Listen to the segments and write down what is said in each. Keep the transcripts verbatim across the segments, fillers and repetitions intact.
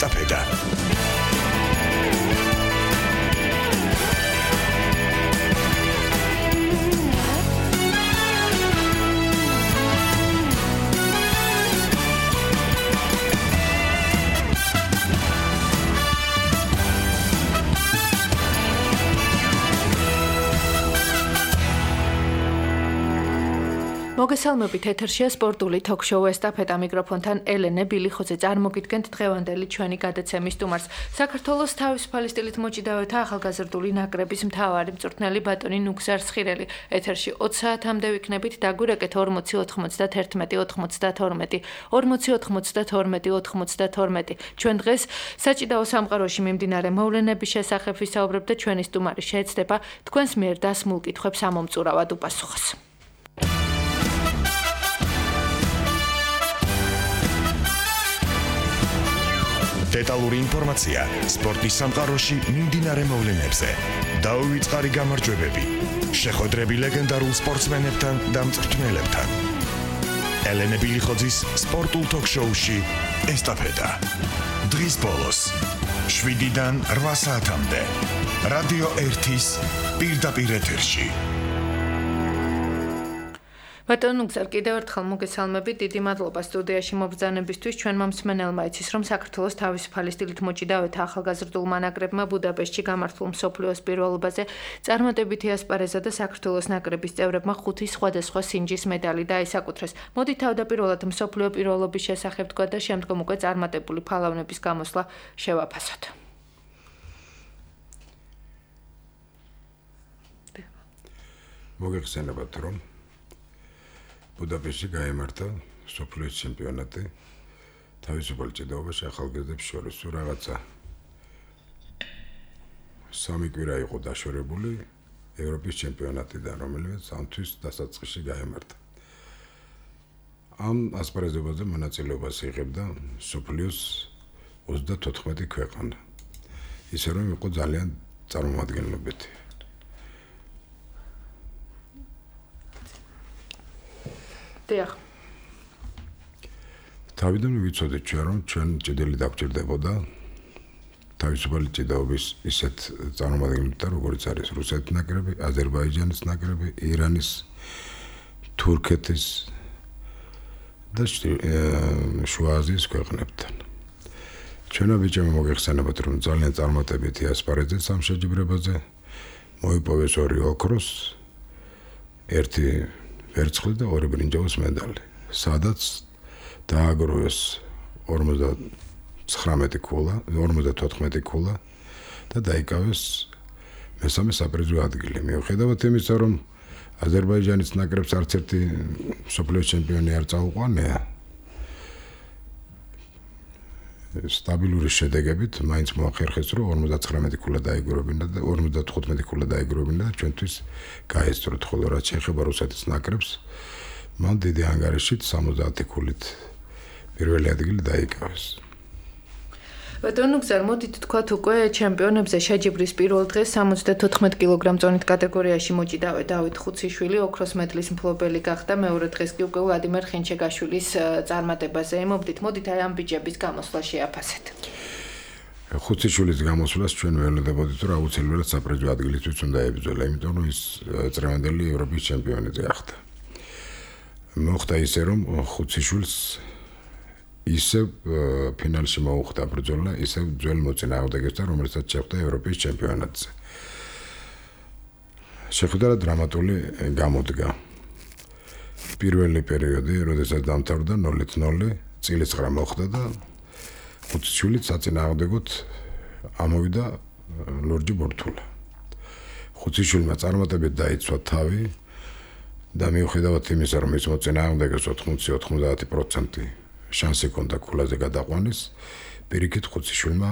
ესტაფეტა. მოგესალმებით, ეთერშია სპორტული თოქ-შოუ ესტაფეტა, მიკროფონთან ელენე ბილიხოძე. წარმოგიდგენთ დღევანდელი ჩვენი გადაცემის სტუმარს. საქართველოს თავისუფალი სტილით მოჭიდავეთა ახალგაზრდული ნაკრების მთავარი მწვრთნელი ბატონი ნუგზარ სხირელი. ეთერში ოცი საათამდე ვიქნებით, დაგვირეკეთ ორმოცი ოთხმოცდათერთმეტი ოთხმოცდათორმეტი ორმოცი ოთხმოცდათორმეტი ოთხმოცდათორმეტი. ჩვენ დღეს საჭიდაო სამყაროში მიმდინარე მოვლენების შესახებ ვისაუბრებთ და ჩვენი სტუმარი შეეცდება თქვენს მიერ დასმულ კითხვებს ამომწურავად უპასუხოს. დეტალური ინფორმაცია სპორტის სამყაროში მიმდინარე მოვლენებზე. დაუვიწყარი გამარჯვებები, შეხვედრები ლეგენდარულ სპორტსმენებთან და მწვრთნელებთან. ელენე ბილიხოძის სპორტულ თოქ-შოუში ესტაფეტა. დღის ბოლოს შვიდიდან რვა საათამდე რადიო ერთის პირდაპირ ეთერში. ბატონ ნუგზარ, კიდევ ერთხელ მოგესალმებით, დიდი მადლობა სტუდიაში მობრძანებისთვის. ჩვენმა მსმენელმა იცის, რომ საქართველოს თავისუფალი სტილით მოჭიდავეთა ახალგაზრდულმა ნაკრებმა ბუდაპეშტში გამართულ მსოფლიოს პირველობაზე წარმატებითი ასპარეზა და საქართველოს ნაკრების წევრებმა ხუთი სხვადასხვა სინჯის მედალი დაისაკუთრეს. მოდით თავდაპირველად მსოფლიო პირველობის შესახებ თქვა და შემდგომ უკვე წარმატებული ფალავნების გამოსვლა შევაფასოთ. მოგეხსენებათ, რომ ბუდაპეშტში გაიმართა მსოფლიოს ჩემპიონატი თავისუფალ ჭიდაობაში ახალგაზრდებს შორის. რაღაცა სამი კვირა იყო დაშორებული ევროპის ჩემპიონატიდან, რომელიც ამთვის დასაწყისში გაიმართა. ამ ასპარეზობაზე მონაწილეობას იღებდა მსოფლიოს ოცდათოთხმეტი ქვეყანა. ისე რომ იყო ძალიან წარმომადგენლობითი. დიახ. თავიდან ვიცოდეთ ჩვენ, რომ ჩვენ ჭიდილი დაგვჭირდებოდა თავისუფალი ჭიდაობის ისეთ წარმომადგენლებთან, როგორც არის რუსეთის ნაკრები, აზერბაიჯანის ნაკრები, ირანის, თურქეთის და შუა აზიის ქვეყნებთან. ჩვენმა ბიჭებმა მოგეხსენებათ, რომ ძალიან წარმატებითი ასპარეზეს ამ შეჯიბრებაზე მოიპოვეს ორი ოქროს, ერთი ვერცხლი და ორი ბრინჯაოს მედალი, სადაც დააგროვეს ორმოცდათოთხმეტი ქულა, ორმოცდათოთხმეტი ქულა და დაიკავეს მესამე საპრიზო ადგილი. მიუხედავად იმისა, რომ აზერბაიჯანის ნაკრებს არც ერთი მსოფლიოს ჩემპიონი არ წაუყვანია, სტაბილური შედეგებით მაინც მოახერხეს, რომ ორმოცდაცხრამეტი ქულა დაიგროვებინა და ორმოცდათხუთმეტი ქულა დაიგროვებინა და ჩვენთვის გაესწროთ, ხოლო რაც შეეხება რუსეთის ნაკრებს, მან დიდი ანგარიშით სამოცდაათი ქულით პირველი ადგილი დაიკავეს. ბატონ ნუგზარ, მოდით თქვათ უკვე ჩემპიონებზე შეჯიბრის პირველ დღეს სამოცდათოთხმეტ კილოგრამ წონით კატეგორიაში მოჭიდავე დავით ხუციშვილი ოქროს მედლის მფლობელი გახდა. მეორე დღეს კი უკვე ვლადიმერ ხინჩეგაშვილის წარმატებაზე ემობდით. მოდით აი ამ ბიჭების გამოსვლა შეაფასეთ. ხუციშვილის გამოსვლას ჩვენ ველოდებოდით, რომ აუცილებლად საპრიზო ადგილისთვის უნდა ებრძოლა, იმიტომ რომ ის წრევანდელი ევროპის ჩემპიონი გახდა. მოხდა ისე, რომ ხუციშვილს ისევ ფინალში მოუხდა ბრძოლა, ისევ ძველ მოწინააღმდეგესთან, რომელსაც შეხვდა ევროპის ჩემპიონატზე. შეხვდა დრამატული გამოდგა. პირველი პერიოდი, როდესაც დამთავრდა ნულით ნული, წილისყრა მოხდა და ხუციშვილიც საწინააღმდეგოდ ამოვიდა ლურჯი ბურთულა. ხუციშვილმა წარმატებით დაიცვა თავი და მიუხედავად იმისა, რომ ის მოწინააღმდეგეს ოთხმოცი ოცდაათი პროცენტი შანსი ჰქონდა ქულაზე გადაყვანის, პირიქით ხუციშვილმა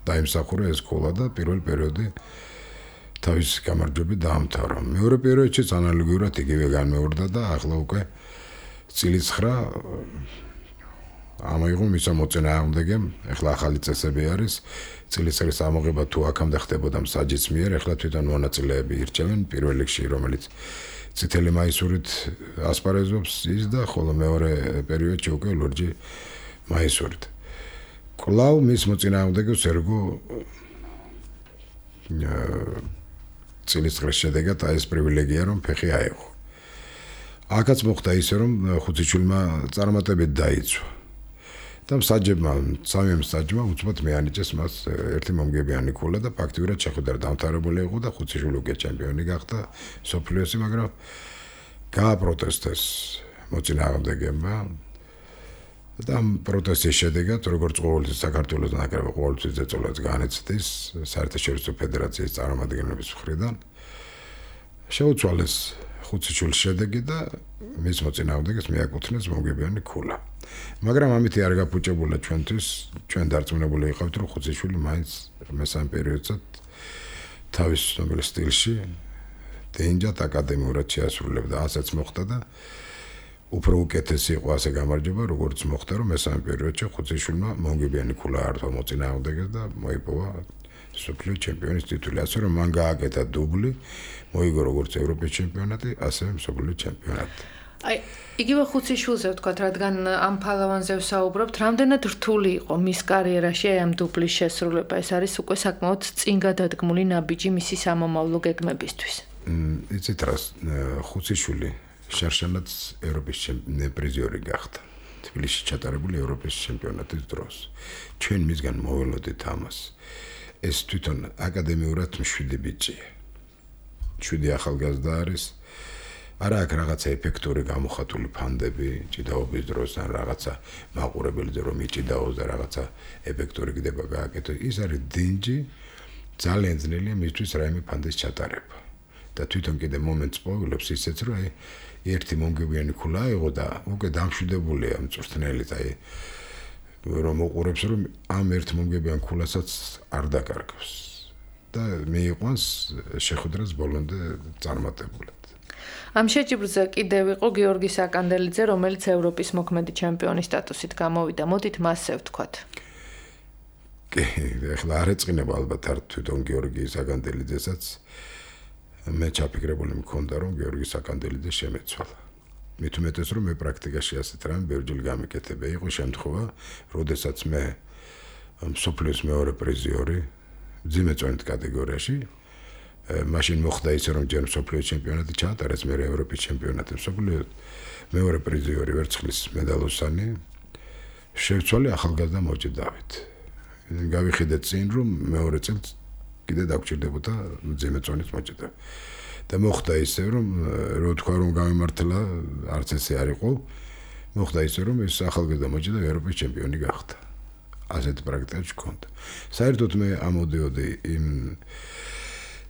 დაიმსახურა ეს ქულა და პირველი პერიოდი თავის გამარჯვებით დაამთავრა. მეორე პერიოდშიც ანალოგიურად იგივე განმეორდა და ახლა უკვე წილისხრა ამოიღო მის მოწინააღმდეგემ. ახლა ახალი წესები არის, წილისხრის ამოღება თუ აქამდე ხდებოდა მსაჯის მიერ, ახლა თვითონ მონაწილეები ირჩევენ პირველ რიგში, რომელიც წითელი მაისურით ასპარეზობს ის და ხოლო მეორე პერიოდში უკვე ლურჯი მაისურით. კლავ მის მოწინააღმდეგეს ერგო წილისწყლის შედეგად ეს პრივილეგია რომ ფეხი აიღო. აქაც მოხდა ისე რომ ხუციშვილმა წარმატებით დაიცვა. და მსაჯებმა, სამი მსაჯმა უცბად მეანიჭეს მას ერთი მომგებიანი ქულა და ფაქტიურად შეხვედრა დამთავრებული იყო და ხუციშვილი უკვე ჩემპიონი გახდა სოფლიოსი, მაგრამ გააპროტესტეს მოწინააღმდეგეებმა და ამ პროტესტის შედეგად როგორც ყოველთვის საქართველოს ნაკრები ყოველთვის ზეწოლას განეცდის საერთაშორისო ფედერაციის წარმომადგენლების მხრიდან შეუცვალეს ხუციშვილის შედეგი და მის მოწინააღმდეგეს მიაკუთვნეს მომგებიანი ქულა. მაგრამ ამით არ გაფუჭებულა ჩვენთვის, ჩვენ დარწმუნებული ვიყავით, რომ ხუციშვილი მაინც მესამე პერიოდსაც თავის ცნობილ სტილში დენჯად აკადემიურად შეასრულებდა. ასეც მოხდა და უფრო უკეთესი იყო ასე გამარჯვება, როგორც მოხდა, რომ მესამე პერიოდში ხუციშვილმა მომგებიანი ქულა ართვა მოწინააღმდეგეს და მოიპოვა სოფლიო ჩემპიონის ტიტული. ასე რომ მან გააკეთა დუბლი, მოიგო როგორც ევროპის ჩემპიონატი, ასევე მსოფლიო ჩემპიონატი. აი, იგივე ხუციშვილზე ვთქვათ, რადგან ამ ფალავანზე ვსაუბრობთ, რამდენად რთული იყო მის კარიერაში ამ დუბლის შესრულება? ეს არის უკვე საკმაოდ წინ გადადგმული ნაბიჯი მისი სამომავლო გეგმებისთვის. იცით რა, ხუციშვილი შარშანაც ევროპის პრიზიორი გახდა. თბილისში ჩატარებული ევროპის ჩემპიონატის დროს. ჩვენ მისგან მოველოდით ამას. ეს თვითონ აკადემიურად მშვიდი ბიჭია. შვიდი ახალგაზრდა არის. არა აქ რაღაცა ეფექტური გამოხატული ფანდები ჭიდაობის დროს ან რაღაცა მაყურებელზე რომ იჭიდაოს და რაღაცა ეფექტური გდება გააკეთო. ის არის დინჯი, ძალიან ძნელია მისთვის რაიმე ფანდის ჩატარება. და თვითონ კიდე მომენტს პოვილობს ისეც რომ აი ერთი მომგებიანი ქულა აიღო და უკვე დამშვიდებულია მწვრთნელით, აი რომ უყურებს რომ ამ ერთ მომგებიან ქულასაც არ დაკარგავს და მიიყვანს შეხვედრას ბოლომდე წარმატებულად. ამ შეჯიბრზე კიდევ იყო გიორგი საკანდელიძე, რომელიც ევროპის მოქმედი ჩემპიონის სტატუსით გამოვიდა. მოდით მასზე ვთქვათ. კი, ეხლა არ ეწყინება ალბათ არ თვითონ გიორგი საკანდელიძესაც. მე ჩაფიქრებული მქონდა რომ გიორგი საკანდელიძე შემეცვალა. მით უმეტეს რომ მე პრაქტიკაში ასეთ რამ ბევრჯერ გამიკეთებია. იყო შემთხვევა, როდესაც მე მსოფლიოს მეორე პრიზიორი მძიმე წონით კატეგორიაში მაშინ მოხდა ისე რომ ჯერ მსოფლიო ჩემპიონატი ჩაატარეს, მე ევროპის ჩემპიონატი, მსოფლიო მეორე პრიზიორი ვერცხლის მედალოსანი შევცვალე ახალგაზრდა მოჭი დავით. გავიხიდეთ წინ რომ მეორე წელს კიდე დაგჭირდებოდა მძიმე წონის მოჭედა. და მოხდა ისე რომ რო თქვა რომ გამემართლა არც ესე არ იყო, მოხდა ისე რომ ეს ახალგაზრდა მოჭედა ევროპის ჩემპიონი გახდა. ასეთ პრაქტიკაში გქონდა. საერთოდ მე ამოდიოდი იმ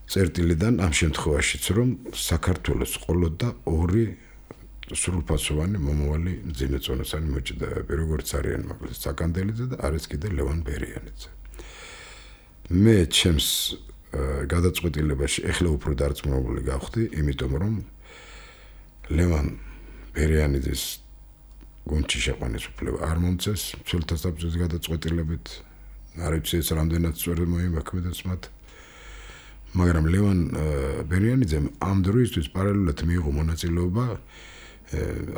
წერტილიდან ამ შემთხვევაშიც რომ საქართველოს ყოლოდა ორი სრულფასოვანი მომავალი მძიმე წონასანი მოჭედავები, როგორც არიან მაგალითად საკანდელიძე და არის კიდე ლევან ბერიანიძე. მე ჩემს გადაწყვეტილებაში ეხლა უფრო დარწმუნებული გავხდი, იმიტომ რომ ლევან ბერიანიძეს გუნდში შეყვანის უფლება არ მომწეს, მცველთა საბჭოს გადაწყვეტილებით, არ ვიცი ეს რამდენად სწორად მოიმოქმედებს მათ. მაგრამ ლევან ბერიანიძემ ამ დროისთვის პარალელურად მიიღო მონაწილეობა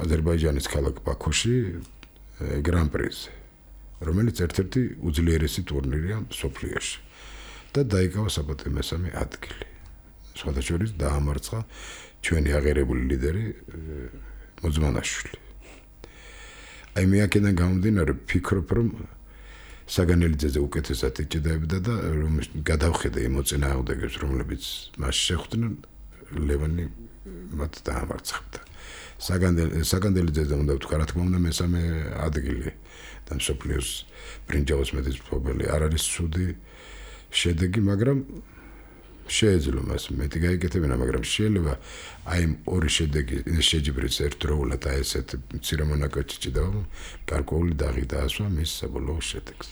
აზერბაიჯანის ქალაქ ბაქოში გრან-პრიზე, რომელიც ერთ-ერთი უძლიერესი ტურნირია სოფლიოში და დაიკავა საპატიო მესამე ადგილი. სხვათა შორის დაამარცხა ჩვენი აღიარებული ლიდერი მოძმანაშვილი. აი მე აქედან გამომდინარე ვფიქრობ რომ საგანელიძეზე უკეთესად იჭედაებდა და რომ გადავხედე იმ მოწინააღმდეგებს, რომლებიც მას შეხვდნენ, ლევანი მათ დაამარცხებდა. საგანელიძეზე უნდა ვთქვა, რა თქმა უნდა, მესამე ადგილი და მსოფლიოს ბრინჯაოს მედლის მფლობელი არ არის ცუდი შედეგი, მაგრამ შეეძლო მას მეტი გაიკეთებინა, მაგრამ შეიძლება აი იმ ორი შედეგი შეჯიბრის ერთდროულად აი ესეთ მცირე მონაკოჩი ჭიდაობა გარკვეული დაღი დაასვა მის საბოლოო შედეგს.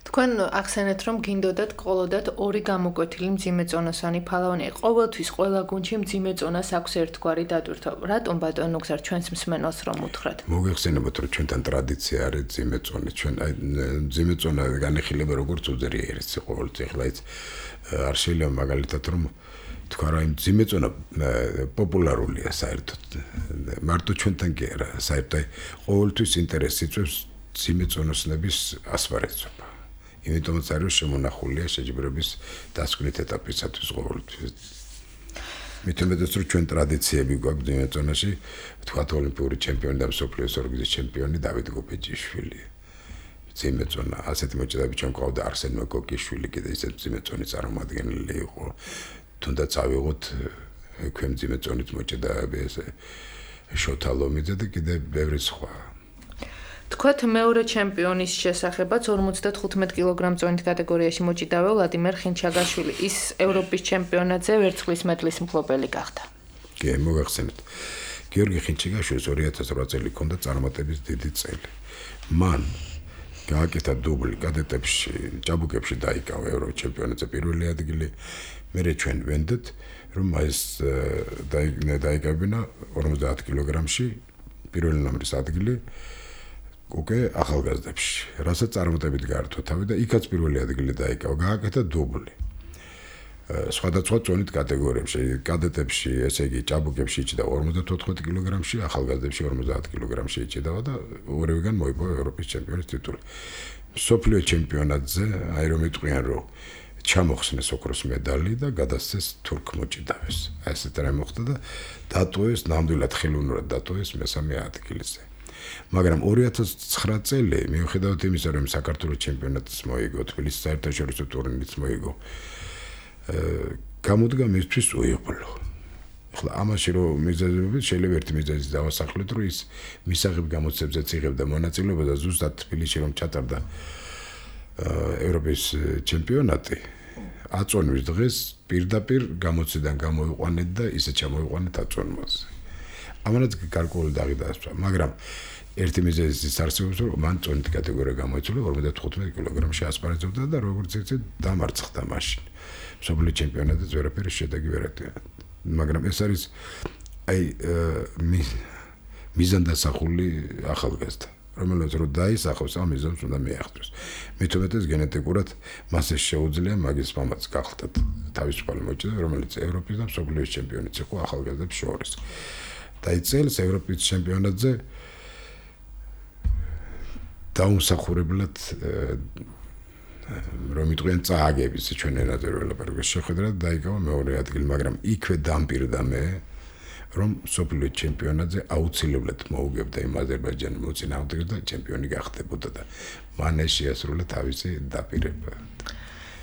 თქვენ ახსენეთ რომ გინდოდათ ყოლოდათ ორი გამოკვეთილი მძიმე წონასანი ფალავანი. ყოველთვის ყველა გუნდში მძიმე წონას აქვს ერთგვარი დატვირთვა. რატომ ბატონო გზარ ჩვენს მსმენელს რომ უთხრათ? მოგეხსენებათ რომ ჩვენთან ტრადიცია არის მძიმე წონი. ჩვენ აი მძიმე წონა განეხილება როგორც უძრიერესი ყოველთვის ახლა ის არ შეიძლება მაგალითად რომ თქვა რა იმ მძიმე წონა პოპულარულია საერთოდ. მარტო ჩვენთან კი არა, საერთოდ ყოველთვის ინტერესს იწვევს მძიმე წონასნების ასპარეზობა. იმიტომაც არის შემონახულია შეჯიბრების დასკვნით ეტაპისათვის ყოველთვის. მithumetes რომ ჩვენ ტრადიციები გვაქვს ძიმე ზონაში, თქვათ ოლიმპიური ჩემპიონი და მსოფლიოს ორგზის ჩემპიონი დავით გობეჯიშვილი. ძიმე ზონა ასეთი მოჭედები ჩვენ ყავდა არსენ მოკოკიშვილი კიდე ისეთ ძიმე ზონის წარმომადგენელი იყო. თუნდაც ავიღოთ ქვემ ძიმე ზონის მოჭედები ესე შოთა ლომიძე და კიდე ბევრი სხვა. თქვათ მეორე ჩემპიონის შესახებაც ორმოცდათხუთმეტ კილოგრამ წონით კატეგორიაში მოჭიდავე ვლადიმერ ხინჩაგაშვილი ის ევროპის ჩემპიონატზე ვერცხლის მედლის მფლობელი გახდა. კი, მოგახსენეთ. გიორგი ხინჩაგაშვილს ორი ათას ორი წელი ჰქონდა წარმატების დიდი წელი. მან გააკეთა დუბლი კადეტებში, ჭაბუკებში დაიკავა ევროპის ჩემპიონატზე პირველი ადგილი. მერე ჩვენ ვენდეთ, რომ ეს დაიკავებინა ორმოცდაათ კილოგრამში პირველი ნომრის ადგილი. უკვე ახალგაზრდებში, რასაც წარმატებით გაართვა თავი და იქაც პირველი ადგილი დაიკავა, გააკეთა დუბლი. სხვადასხვა წონით კატეგორიებში, კადეტებში, ესე იგი, ჭაბუკებში იჭდა ორმოცდათოთხმეტ კილოგრამში, ახალგაზრდებში ორმოცდაათ კილოგრამში იჭდა და ორივეგან მოიპოვა ევროპის ჩემპიონის ტიტული. მსოფლიო ჩემპიონატზე, აი რომ იტყვიან, რომ ჩამოხსნეს ოქროს მედალი და გადასცეს თურქ მოჭიდავეს. ესეთ რამ მოხდა და დატოვეს ნამდვილად ხელოვნურად დატოვეს მესამე ადგილზე. მაგრამ ორი ათას ცხრა წელი მიუხედავად იმისა, რომ საქართველოს ჩემპიონატს მოიგო, თბილისის საერთაშორისო ტურნირიც მოიგო, გამოდგა მისთვის უიღბლო. ახლა ამაში რომ მიზეზები შეიძლება ერთი მიზეზი დავასახლოთ, რომ ის მისაღებ გამოცემებზეც იღებდა მონაწილეობა და ზუსტად თბილისში რომ ჩატარდა ევროპის ჩემპიონატი, აწონვის დღეს პირდაპირ გამოციდან გამოიყვანეთ და ისე ჩამოიყვანეთ აწონვაზე. ამანაც გარკვეული დაღი დაასწრა, მაგრამ ერთი მიზეზი ის არსებობს, რომ მან წონით კატეგორია გამოიცვალა ორმოცდათხუთმეტ კილოგრამში ასპარეზობდა და როგორც იცით, დამარცხდა მაშინ. მსოფლიო ჩემპიონატზე ვერაფერი შედეგი ვერ ატია. მაგრამ ეს არის აი მიზანდასახული ახალგაზრდა, რომელიც რო დაისახოს ამ მიზანს უნდა მიაღწიოს. მithumetes გენეტიკურად მას ეს შეუძლია მაგის მამაც გახლდათ თავისუფალი მოჭედა, რომელიც ევროპის და მსოფლიოს ჩემპიონიც იყო ახალგაზრდებს შორის. და ის წელს ევროპის ჩემპიონატზე დაუმსახურებლად რომ იტყვიან წააგების ჩვენ ენაზე ველაპარაკოს შეხვედრა დაიკავა მეორე ადგილი, მაგრამ იქვე დამპირდა მე რომ მსოფლიო ჩემპიონატზე აუცილებლად მოუგებდა იმ აზერბაიჯანის მოწინააღმდეგეს და ჩემპიონი გახდებოდა და მან ეს შეასრულა თავისი დაპირება.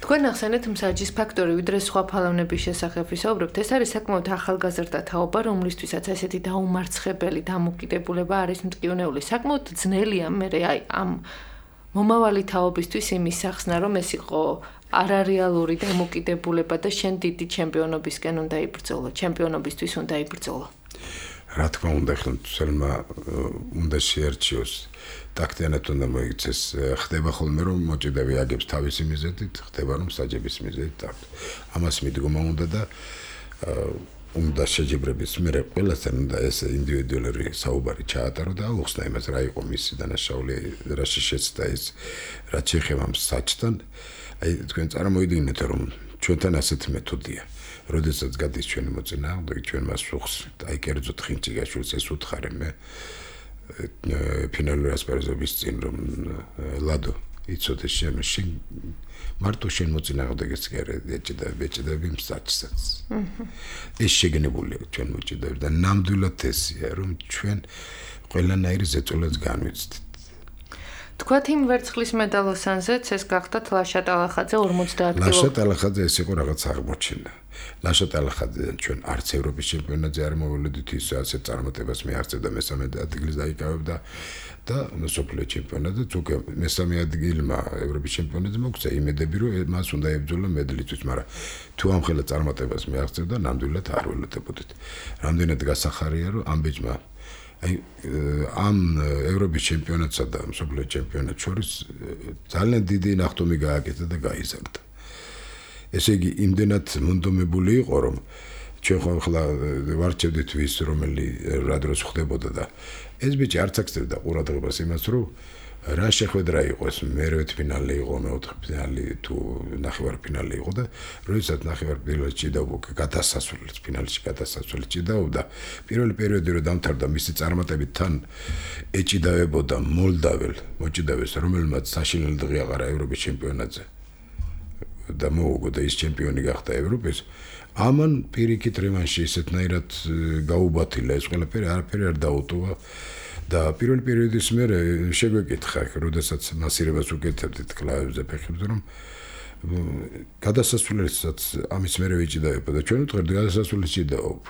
თქვენ ახსენეთ მსაჯის ფაქტორი, ვიდრე სხვა ფალოვნების შესახებ ვისაუბრებთ, ეს არის საკმაოდ ახალგაზრდა თაობა, რომლისთვისაც ესეთი დაუმარცხებელი დამოკიდებულება არის მტკივნეული. საკმაოდ ძნელია მე აი ამ მომავალი თაობისთვის იმის სახსნა, რომ ეს იყო არარეალური დამოკიდებულება და შენ დიდი ჩემპიონობისკენ უნდა იბრძოლო, ჩემპიონობისთვის უნდა იბრძოლო. რა თქმა უნდა, ხელმძღვანელმა უნდა შეერჩიოს ტაქტიანად უნდა მოიქცეს. ხდება ხოლმე რომ მოჭედები აგებს თავისი მიზეზით, ხდება რომ საჯების მიზეზით აქვს. ამას მიდგომა უნდა და უნდა შეჯიბრების მერე ყველასთან უნდა ეს ინდივიდუალური საუბარი ჩაატარო და აუხსნა იმას რა იყო მისი დანაშაული, რა შეშეცდა ის, რა შეეხება საჯთან. აი თქვენ წარმოიდგინეთ რომ ჩვენთან ასეთი მეთოდია. როდესაც გადის ჩვენი მოწინააღმდეგე, ჩვენ მას ვუხსნით. აი კერძოდ ხინჩიგაშვილს ეს უთხარე მე ფინალური ასპარეზობის წინ რომ ლადო იცოდე შენ შენ მარტო შენ მოწინააღმდეგეს ეჭდა ეჭდები მსაჯსაც. ეს შეგნებულია ჩვენ მოჭიდები და ნამდვილად ესია რომ ჩვენ ყველანაირი ზეწოლას განვიცდით. თქვათ იმ ვერცხლის მედალოსანზეც ეს გახდათ ლაშა ტალახაძე ორმოცდაათ კილო. ლაშა ტალახაძე ეს იყო რაღაც აღმოჩენა. ლაშა ტალახაძე ჩვენ არც ევროპის ჩემპიონატზე არ მოვლოდით ის ასე წარმატებას მიაღწევდა მესამე ადგილს დაიკავებდა და მსოფლიო ჩემპიონატზე უკვე მესამე ადგილმა ევროპის ჩემპიონატზე მოგცა იმედები რომ მას უნდა ებრძოლა მედლისთვის, მაგრამ თუ ამხელა წარმატებას მიაღწევდა ნამდვილად არ ველოდებოდით. რამდენად გასახარია რომ ამ ბიჭმა აი ამ ევროპის ჩემპიონატსა და მსოფლიო ჩემპიონატს შორის ძალიან დიდი ნახტომი გააკეთა და გაიზარდა. ესე იგი იმდენად მონდომებული იყო რომ ჩვენ ხოლმე ვარჩევდით ვის რომელი რა დროს ხდებოდა და ეს ბიჭი არც აქცევდა ყურადღებას იმას რომ რა შეხვედრა იყო ეს მერვეთ ფინალი იყო მეოთხე ფინალი თუ ნახევარფინალი იყო და როდესაც ნახევარფინალში ჭიდაობდა გადასასვლელს ფინალში გადასასვლელს ჭიდაობდა პირველი პერიოდი რომ დამთავრდა მისი წარმატებით თან ეჭიდავებოდა მოლდაվել მოჭიდავეს რომელმაც საშინელი დღე აღარა ევროპის ჩემპიონატზე და მოუგო და ის ჩემპიონი გახდა ევროპის ამან პირიქით რევანში ისეთნაირად გაუბათილა ეს ყველაფერი არაფერი არ დაუტოვა და პირველი პერიოდის მერე შეგვეკითხა, როდესაც მასირებას უკეთებდით კლავებზე ფეხებზე, რომ გადასასვლელსაც ამის მერე ვიჭიდაებო და ჩვენ ვთქვით გადასასვლელი ჭიდაობ.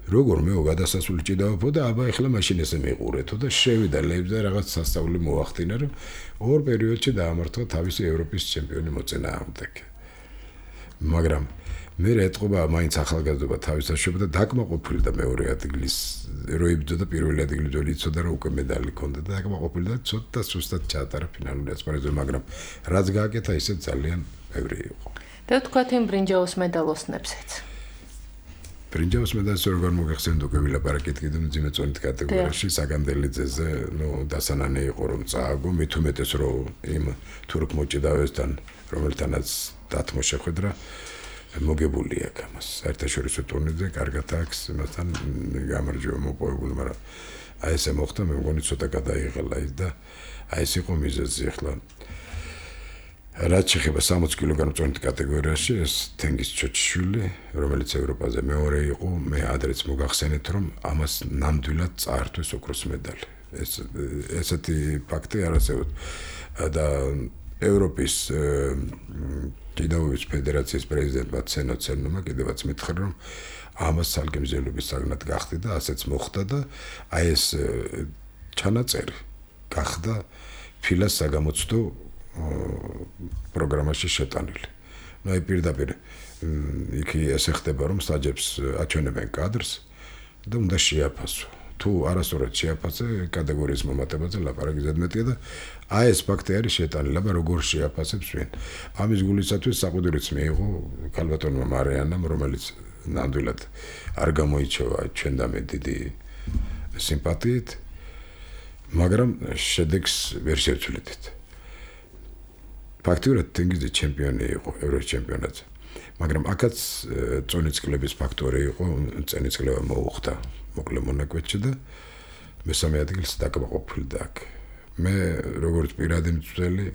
როგორ მეო გადასასვლელი ჭიდაობო და აბა ეხლა მაშინ ესე მიყურეთო და შევიდა ლებზე რაღაც სასწაული მოახდინა, რომ ორ პერიოდში დაამართვა თავისი ევროპის ჩემპიონი მოწინააღმდეგე. მაგრამ მე ეტყობა მაინც ახალგაზრდობა თავისაშობა და დაკმაყოფილი და მეორე ადგილის როიბძო და პირველი ადგილი ძველი იცოდა რომ უკვე медали ჰქონდა და დაკმაყოფილი და ცოტა სუსტად ჩაატარა ფინალური ასპარეზზე მაგრამ რაც გააკეთა ისე ძალიან ბევრი იყო და თქვათ იმ ბრინჯაოს медалოსნებსაც ბრინჯაოს медалს როგორ მოგეხსენდ უკვე ვილაპარაკეთ კიდევ მძიმე წონით კატეგორიაში საგანდელიძეზე ნუ დასანანე იყო რომ წააგო მით უმეტეს რომ იმ თურქ მოჭიდავესთან რომელთანაც დათმო შეხვედრა მოგებული აქ ამას საერთაშორისო ტურნირზე კარგად აქვს მასთან გამარჯვება მოპოვებული მაგრამ აი ესე მოხდა მე მგონი ცოტა გადაიღალა ის და აი ეს იყო მიზეზი ახლა რაც შეეხება სამოცი კილოგრამ წონით კატეგორიაში ეს თენგიზ ჩოჩიშვილი რომელიც ევროპაზე მეორე იყო მე ადრეც მოგახსენეთ რომ ამას ნამდვილად წაართვეს ოქროს მედალი ეს ესეთი ფაქტი არასწორია და ევროპის ჭიდაობის ფედერაციის პრეზიდენტმა ცენო ცენომა კიდევაც მითხრა რომ ამას საგემზელობის საგნად გახდი და ასეც მოხდა და აი ეს ჩანაწერი გახდა ფილას საგამოცდო პროგრამაში შეტანილი. ნუ აი პირდაპირ იქ ესე ხდება რომ სტაჟებს აჩვენებენ კადრს და უნდა შეაფასო. თუ არასწორად შეაფასე კატეგორიის მომატებაზე ლაპარაკი ზედმეტია და აი ეს ფაქტი არის შეტანილი, აბა როგორ შეაფასებს ვინ. ამის გულისათვის საყუდრიც მიიღო ქალბატონმა მარიანამ, რომელიც ნამდვილად არ გამოიჩევა ჩვენდამე დიდი სიმპათიით, მაგრამ შედეგს ვერ შევცვლიდით. ფაქტიურად თენგიზი ჩემპიონი იყო ევროპის ჩემპიონატზე. მაგრამ აქაც წონით კლუბის ფაქტორი იყო, წენის კლუბა მოუხდა მოკლე მონაკვეთში და მესამე ადგილს დაკმაყოფილდა აქ. მე როგორც პირადი მცველი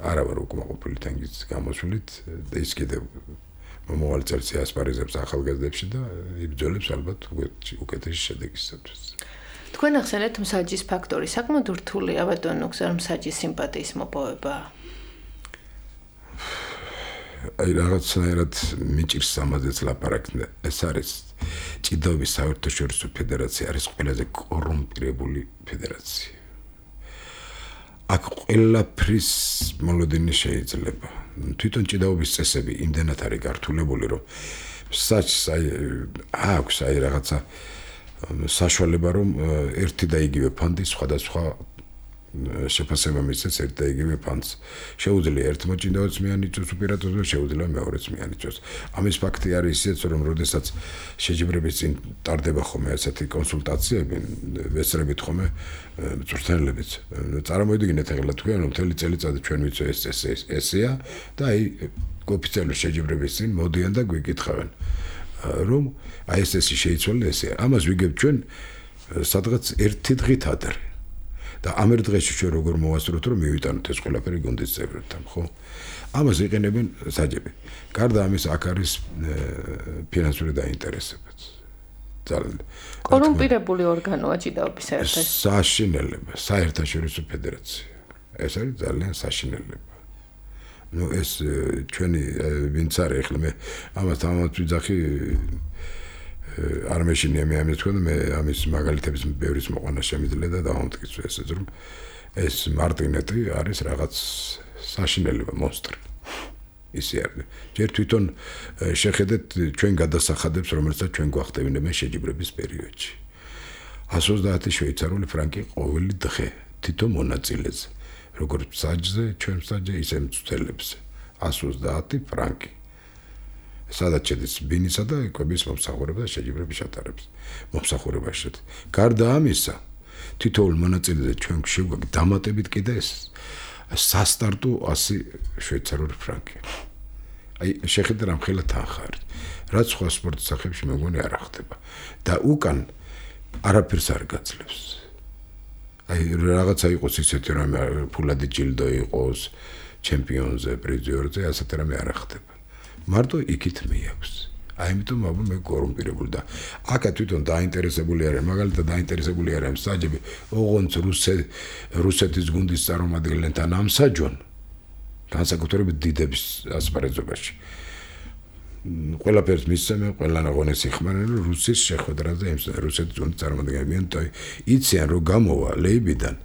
არა ვარ უკმაყოფილი თენგიზის გამოსვლით და ის კიდევ მომავალ წელს ასპარეზებს ახალგაზრდებში და იბრძოლებს ალბათ უკეთესი შედეგისათვის. თქვენ ახსენეთ მსაჯის ფაქტორი, საკმაოდ რთულია ბატონო გზარ მსაჯის სიმპათიის მოპოვება. აი რაღაცნაირად მიჭირს ამაზეც ლაპარაკი. ეს არის ჭიდაობის საერთაშორისო ფედერაცია არის ყველაზე კორუმპირებული ფედერაცია. აქ ყველაფრის მოლოდინი შეიძლება. თვითონ ჭიდაობის წესები იმდენად არის გართულებული, რომ საჭს აი აქვს აი რაღაცა საშუალება, რომ ერთი და იგივე ფანდი სხვადასხვა შეფასება მისცეს ერთ და იგივე ფანდს. შეუძლია ერთმა ჭიდაობს მიანიჭოს უპირატესობა, შეუძლია მეორეც მიანიჭოს. ამის ფაქტი არის ისეც, რომ როდესაც შეჯიბრების წინ ტარდება ხოლმე ასეთი კონსულტაციები, ვესწრებით ხოლმე მწვრთნელებიც. წარმოიდგინეთ ახლა თქვენ რომ მთელი წელიწადი ჩვენ ვიცო ეს ეს ესეა და აი ოფიციალური შეჯიბრების წინ მოდიან და გვიკითხავენ რომ აი ეს ესე შეიცვალა ესეა. ამას ვიგებ ჩვენ სადღაც ერთი დღით ადრე. და ამ ერთ დღეში ჩვენ როგორ მოვასწროთ რომ მივიტანოთ ეს ყველაფერი გუნდის წევრებთან, ხო? ამას იყენებენ საჯები. გარდა ამის აქ არის ფინანსური დაინტერესებაც. ძალიან კორუმპირებული ორგანოა ჭიდაობის საერთაშორისო საშინელება, საერთაშორისო ფედერაცია. ეს არის ძალიან საშინელება. ნუ ეს ჩვენი ვინც არის ახლა მე ამას ამათ ვიძახი არ მეშინია მე ამის თქვა და მე ამის მაგალითების ბევრის მოყვანა შემიძლია და დავამტკიცო ესეც რომ ეს მარტინეტი არის რაღაც საშინელება მონსტრი ისე არის ჯერ თვითონ შეხედეთ ჩვენ გადასახადებს რომელსაც ჩვენ გვახტევინებენ შეჯიბრების პერიოდში εκατს ოცდაათი შვეიცარიული ფრანკი ყოველი დღე თვითონ მონაწილეზე როგორც საჯზე ჩვენ საჯზე ისე მცველებზე εκατს ოცდაათი ფრანკი სადაც შედის ბინისა და კვების მომსახურება და შეჯიბრების ატარებს მომსახურებაში. გარდა ამისა, თითოეულ მონაწილეზე ჩვენ შეგვაქვს დამატებით კიდე ეს სასტარტო ასი შვეიცარიული ფრანკი. აი შეხედე რამ ხელა თანხარ. რაც სხვა სპორტის სახებში მე მგონი არ ხდება. და უკან არაფერს არ გაძლევს. აი რაღაცა იყოს ისეთი რამე ფულადი ჯილდო იყოს ჩემპიონზე, პრიზიორზე, ასეთი რამე არ ხდება. მარტო იქით მეაქვს. აი ამიტომ აბა მე კორუმპირებული და აკა თვითონ დაინტერესებული არიან, მაგალითად დაინტერესებული არიან საჯები, ოღონდ რუსეთის გუნდის წარმომადგენლებთან ამსაჯონ. განსაკუთრებით დიდების ასპარეზობაში. ყველაფერს მისცემენ, ყველან აღონეს იხმარენ რუსის შეხვედრაზე იმ რუსეთის გუნდის წარმომადგენლები და იციან რომ გამოვა ლეიბიდან,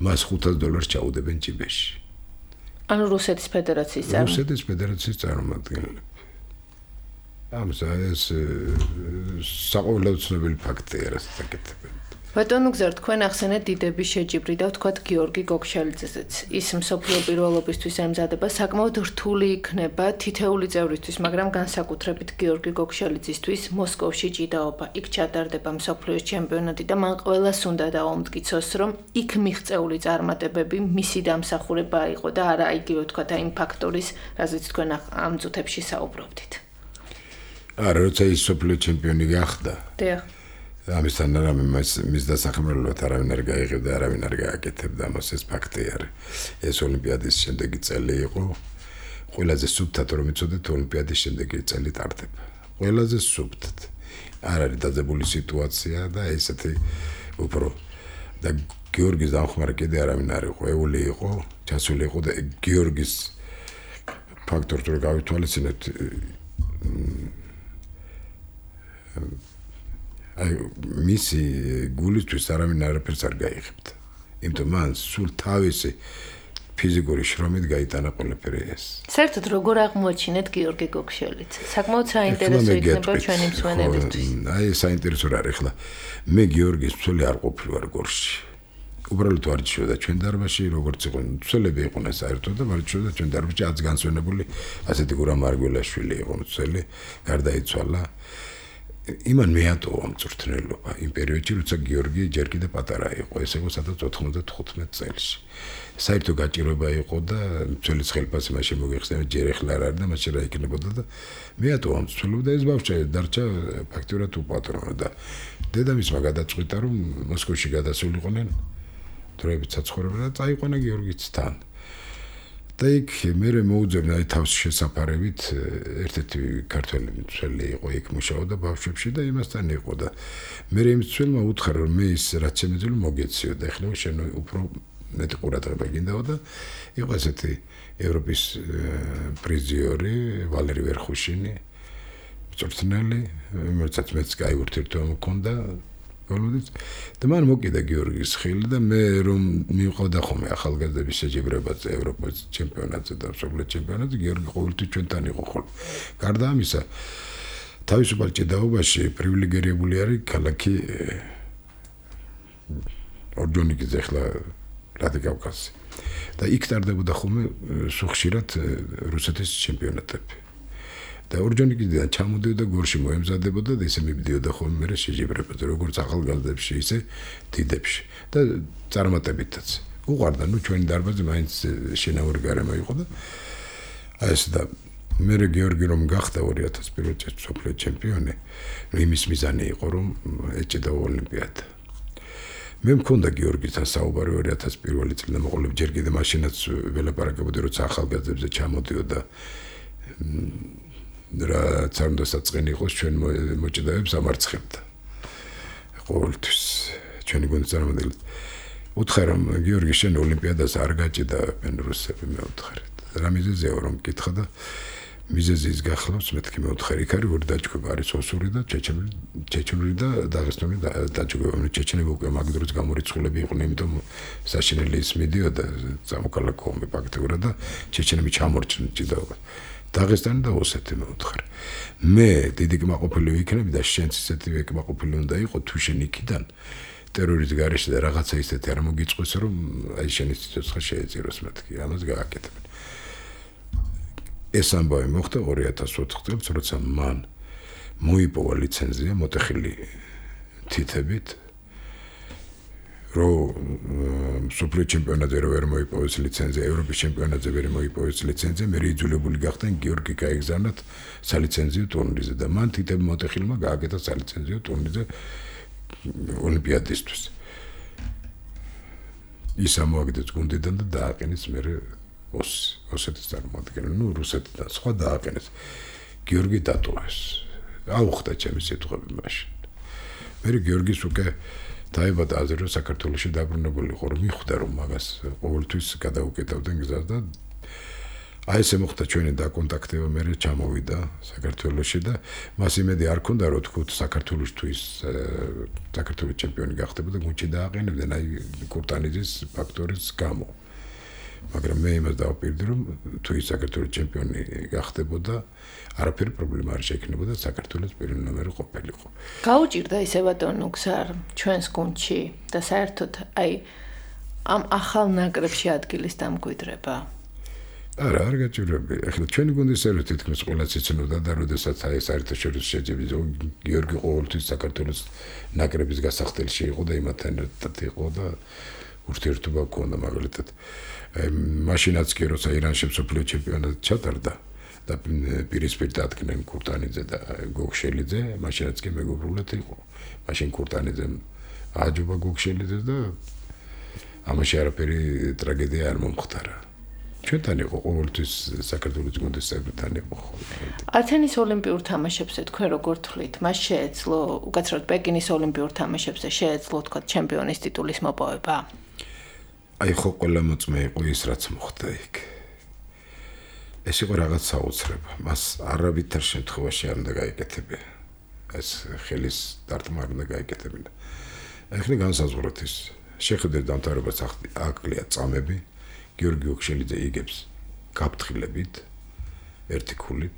მას ხუთას დოლარს ჩაუდებენ ჭიბეში. ანუ რუსეთის ფედერაციის წარმომადგენლები. რუსეთის ფედერაციის წარმომადგენლები. ამისა ეს საყოველთაოდ ცნობილი ფაქტია, რასაც აკეთებენ. ბატონო გზარ, თქვენ ახსენეთ დიდების შეჯიბრი და ვთქვათ გიორგი გოგშალიძეც. ის მსოფლიო პირველობისთვის ემზადება საკმაოდ რთული იქნება თითეული წევრისთვის, მაგრამ განსაკუთრებით გიორგი გოგშალიძისთვის მოსკოვში ჭიდაობა. იქ ჩატარდება მსოფლიოს ჩემპიონატი და მან ყველას უნდა დაუმტკიცოს, რომ იქ მიღწეული წარმატებები მისი დამსახურება იყო და არა იგივე ვთქვათ აი იმ ფაქტორის, რაზეც თქვენ ამ წუთებში საუბრობდით. არა, როცა ის მსოფლიო ჩემპიონი გახდა. დიახ. ამისთან რამე მის დასახმარებლად არავინ არ გაიღებდა, არავინ არ გააკეთებდა, მას ეს ფაქტი არის. ეს ოლიმპიადის შემდეგი წელი იყო. ყველაზე სუფთად რომ იცოდეთ, ოლიმპიადის შემდეგი წელი ტარდება. ყველაზე სუფთად. არ არის დაძაბული სიტუაცია და ესეთი უფრო და გიორგის დამხმარე კიდე არავინ არ იყო, ეული იყო, ჩასული იყო და გიორგის ფაქტორს რო გავითვალისწინებთ აი მისი გულისთვის არავინ არაფერს არ გაიღებდა. იმიტომ მან სულ თავისი ფიზიკური შრომით გაიტანა ყველაფერი ეს. საერთოდ როგორ აღმოაჩინეთ გიორგი გოგშალიძე? საკმაოდ საინტერესო იქნება ჩვენი მსმენელისთვის. აი საინტერესო რა არის ხლა. მე გიორგის ცველი არ ყოფილი ვარ გორში. უბრალოდ არ ჩიოდა ჩვენ დარბაზში, როგორც იყო ცველები იყვნენ საერთოდ და მარჩიოდა ჩვენ დარბაზში ათს განსვენებული ასეთი გურამ მარგველაშვილი იყო ცველი, გარდაიცვალა. იმან მეატოვა მწვრთნელობა იმ პერიოდში, როცა გიორგი ჯერ კიდე პატარა იყო, ეს იყო სადაც ოთხმოცდათხუთმეტ წელში. საერთო გაჭირვება იყო და მცველის ხელფასი მას შემოგეხსენა, ჯერ ეხლა არ არის და მას რა იქნებოდა და მეატოვა მწვრთნელობა და ეს ბავშვი დარჩა ფაქტიურად უპატრონო და დედამისმა გადაწყვიტა, რომ მოსკოვში გადასულიყვნენ დროებით საცხოვრებლად და წაიყვანა გიორგიც თან. და იქ მე მოუძებნა აი თავს შესაფარებით ერთ-ერთი ქართველი მცველი იყო იქ მუშაობდა ბავშვებში და იმასთან იყო და მე იმ მცველმა უთხრა რომ მე ის რაც შემეძლო მოგეციო და ეხლა შენ უფრო მეტი ყურადღება გინდაო და იყო ესეთი ევროპის პრიზიორი ვალერი ვერხუშინი მწვრთნელი რომელსაც მეც კაი ურთიერთობა მქონდა გოლოდიც და მან მოკიდა გიორგის ხილი და მე რომ მივყავდა ხოლმე ახალგაზრდების შეჯიბრებაზე ევროპის ჩემპიონატზე და მსოფლიო ჩემპიონატზე გიორგი ყოველთვის ჩვენთან იყო ხოლმე. გარდა ამისა თავისუფალ ჭიდაობაში პრივილეგირებული არის ქალაქი ორჯონიკიძე ახლა რადიკავკაზი და იქ ტარდებოდა ხოლმე სუხშირად რუსეთის ჩემპიონატები. და ორჯონიკიდან ჩამოდიოდა გორში მოემზადებოდა და ისე მიბდიოდა ხოლმე მე შეჯიბრებაზე როგორც ახალგაზრდებში ისე დიდებში და წარმატებითაც უყვარდა ნუ ჩვენი დარბაზი მაინც შინაური გარემო იყო და აი ეს და მე გიორგი რომ გახდა ორი ათას პირველ წელს მსოფლიო ჩემპიონი იმის მიზანი იყო რომ ეჭედა ოლიმპიადა მე მქონდა გიორგისთან საუბარი ორი ათას პირველი წელი და მოყოლებ ჯერ კიდე მაშინაც ველაპარაკებოდი როცა ახალგაზრდებზე ჩამოდიოდა რა ცარნდა საწყენი იყოს ჩვენ მოჭიდაებს ამარცხებდა ყოველთვის ჩვენი გუნდის წარმომადგენლებს უთხრა რომ გიორგი შენ ოლიმპიადას არ გაჭიდა რუსები მე უთხრა რა მიზეზია რომ მკითხა და მიზეზის გახლავს მეთქი მე უთხრა იქ არის ორი დაჯგუფება არის ოსური და ჩეჩნური ჩეჩნური და დაღესტანი დაჯგუფება მე ჩეჩნები უკვე მაგდროს გამორიცხულები იყვნენ იმიტომ საშინელი ის მიდიოდა სამოქალაქო ომი ფაქტიურად და ჩეჩნები ჩამორჩნენ ჭიდაობა დაღესტანი და ოსეთი მე უთხრა მე დიდი კმაყოფილი ვიქნები და შენც ისეთივე კმაყოფილი უნდა იყო თუ შენ იქიდან ტერორის გარეშე და რაღაცა ისეთი არ მოგიწყვეს რომ აი შენი სიცოცხლე შეეწიროს მეთქი ამას გააკეთებენ ეს ამბავი მოხდა ორი ათას ოთხ წელს როცა მან მოიპოვა ლიცენზია მოტეხილი თითებით რომ სუპერ ჩემპიონატზე რო ვერ მოიპოვეს ლიცენზია, ევროპის ჩემპიონატზე ვერ მოიპოვეს ლიცენზია, მე იძულებული გახდნენ გიორგი გაეგზავნათ სალიცენზიო ტურნირზე და მან თითებ მოტეხილმა გააკეთა სალიცენზიო ტურნირზე ოლიმპიადისთვის. ის ამოაგდეს გუნდიდან და დააყენეს მე ოსეთის წარმომადგენელი, ნუ რუსეთიდან სხვა დააყენეს. გიორგი დატოვეს. აუხდა ჩემი სიტყვები მაშინ. მე გიორგის უკვე დაიბადა აზრი რომ საქართველოში დაბრუნებული იყო, რომ მიხვდა რომ მაგას ყოველთვის გადაუკეტავდნენ გზას და აი ესე მოხდა ჩვენი დაკონტაქტება, მე ჩამოვიდა საქართველოში და მას იმედი არ ქონდა რომ თქვით საქართველოს თუ ის საქართველოს ჩემპიონი გახდებოდა გუნდში დააყენებდნენ აი კურტანიძის ფაქტორის გამო. მაგრამ მე იმას დავაპირდი რომ თუ ის საქართველოს ჩემპიონი გახდებოდა არაფერი პრობლემა არ შეექნებოდა საქართველოს პირველი ნომერი ყოფილიყო. გაუჭირდა ისე ბატონო გზარ ჩვენს გუნდში და საერთოდ აი ამ ახალ ნაკრებში ადგილის დამკვიდრება. არა, არ გაჭირვები. ახლა ჩვენი გუნდის ერთ თითქმის ყველაც იცნობდა და როდესაც აი საერთაშორისო შეჯიბი გიორგი ყოველთვის საქართველოს ნაკრების გასახდელში იყო და იმათთან ერთად იყო და ურთიერთობა ჰქონდა მაგალითად. მაშინაც კი როცა ირანში მსოფლიო ჩემპიონატი ჩატარდა და პირისპირ დადგნენ კურტანიძე და გოგშელიძე, მაშინაც კი მეგობრულად იყო. მაშინ კურტანიძემ აჯობა გოგშელიძეს და ამაში არაფერი ტრაგედია არ მომხდარა. ჩვენთან იყო ყოველთვის საქართველოს გუნდის წევრთან იყო. ათენის ოლიმპიურ თამაშებზე თქვენ როგორ თვლით? მას შეეძლო, უკაცრავად პეკინის ოლიმპიურ თამაშებზე შეეძლო თქვა ჩემპიონის ტიტულის მოპოვება? აი ხო ყველა მოწმე იყო ის რაც მოხდა იქ. ეს იყო რაღაც საოცრება. მას არავითარ შემთხვევაში არ უნდა გაიკეთებია. ეს ხელის დარტყმა არ უნდა გაიკეთებინა. ახლა განსაზღვროთ ის. შეხედეთ დამთავრებას აკლია წამები. გიორგი ოქშელიძე იგებს გაფრთხილებით ერთი ქულით.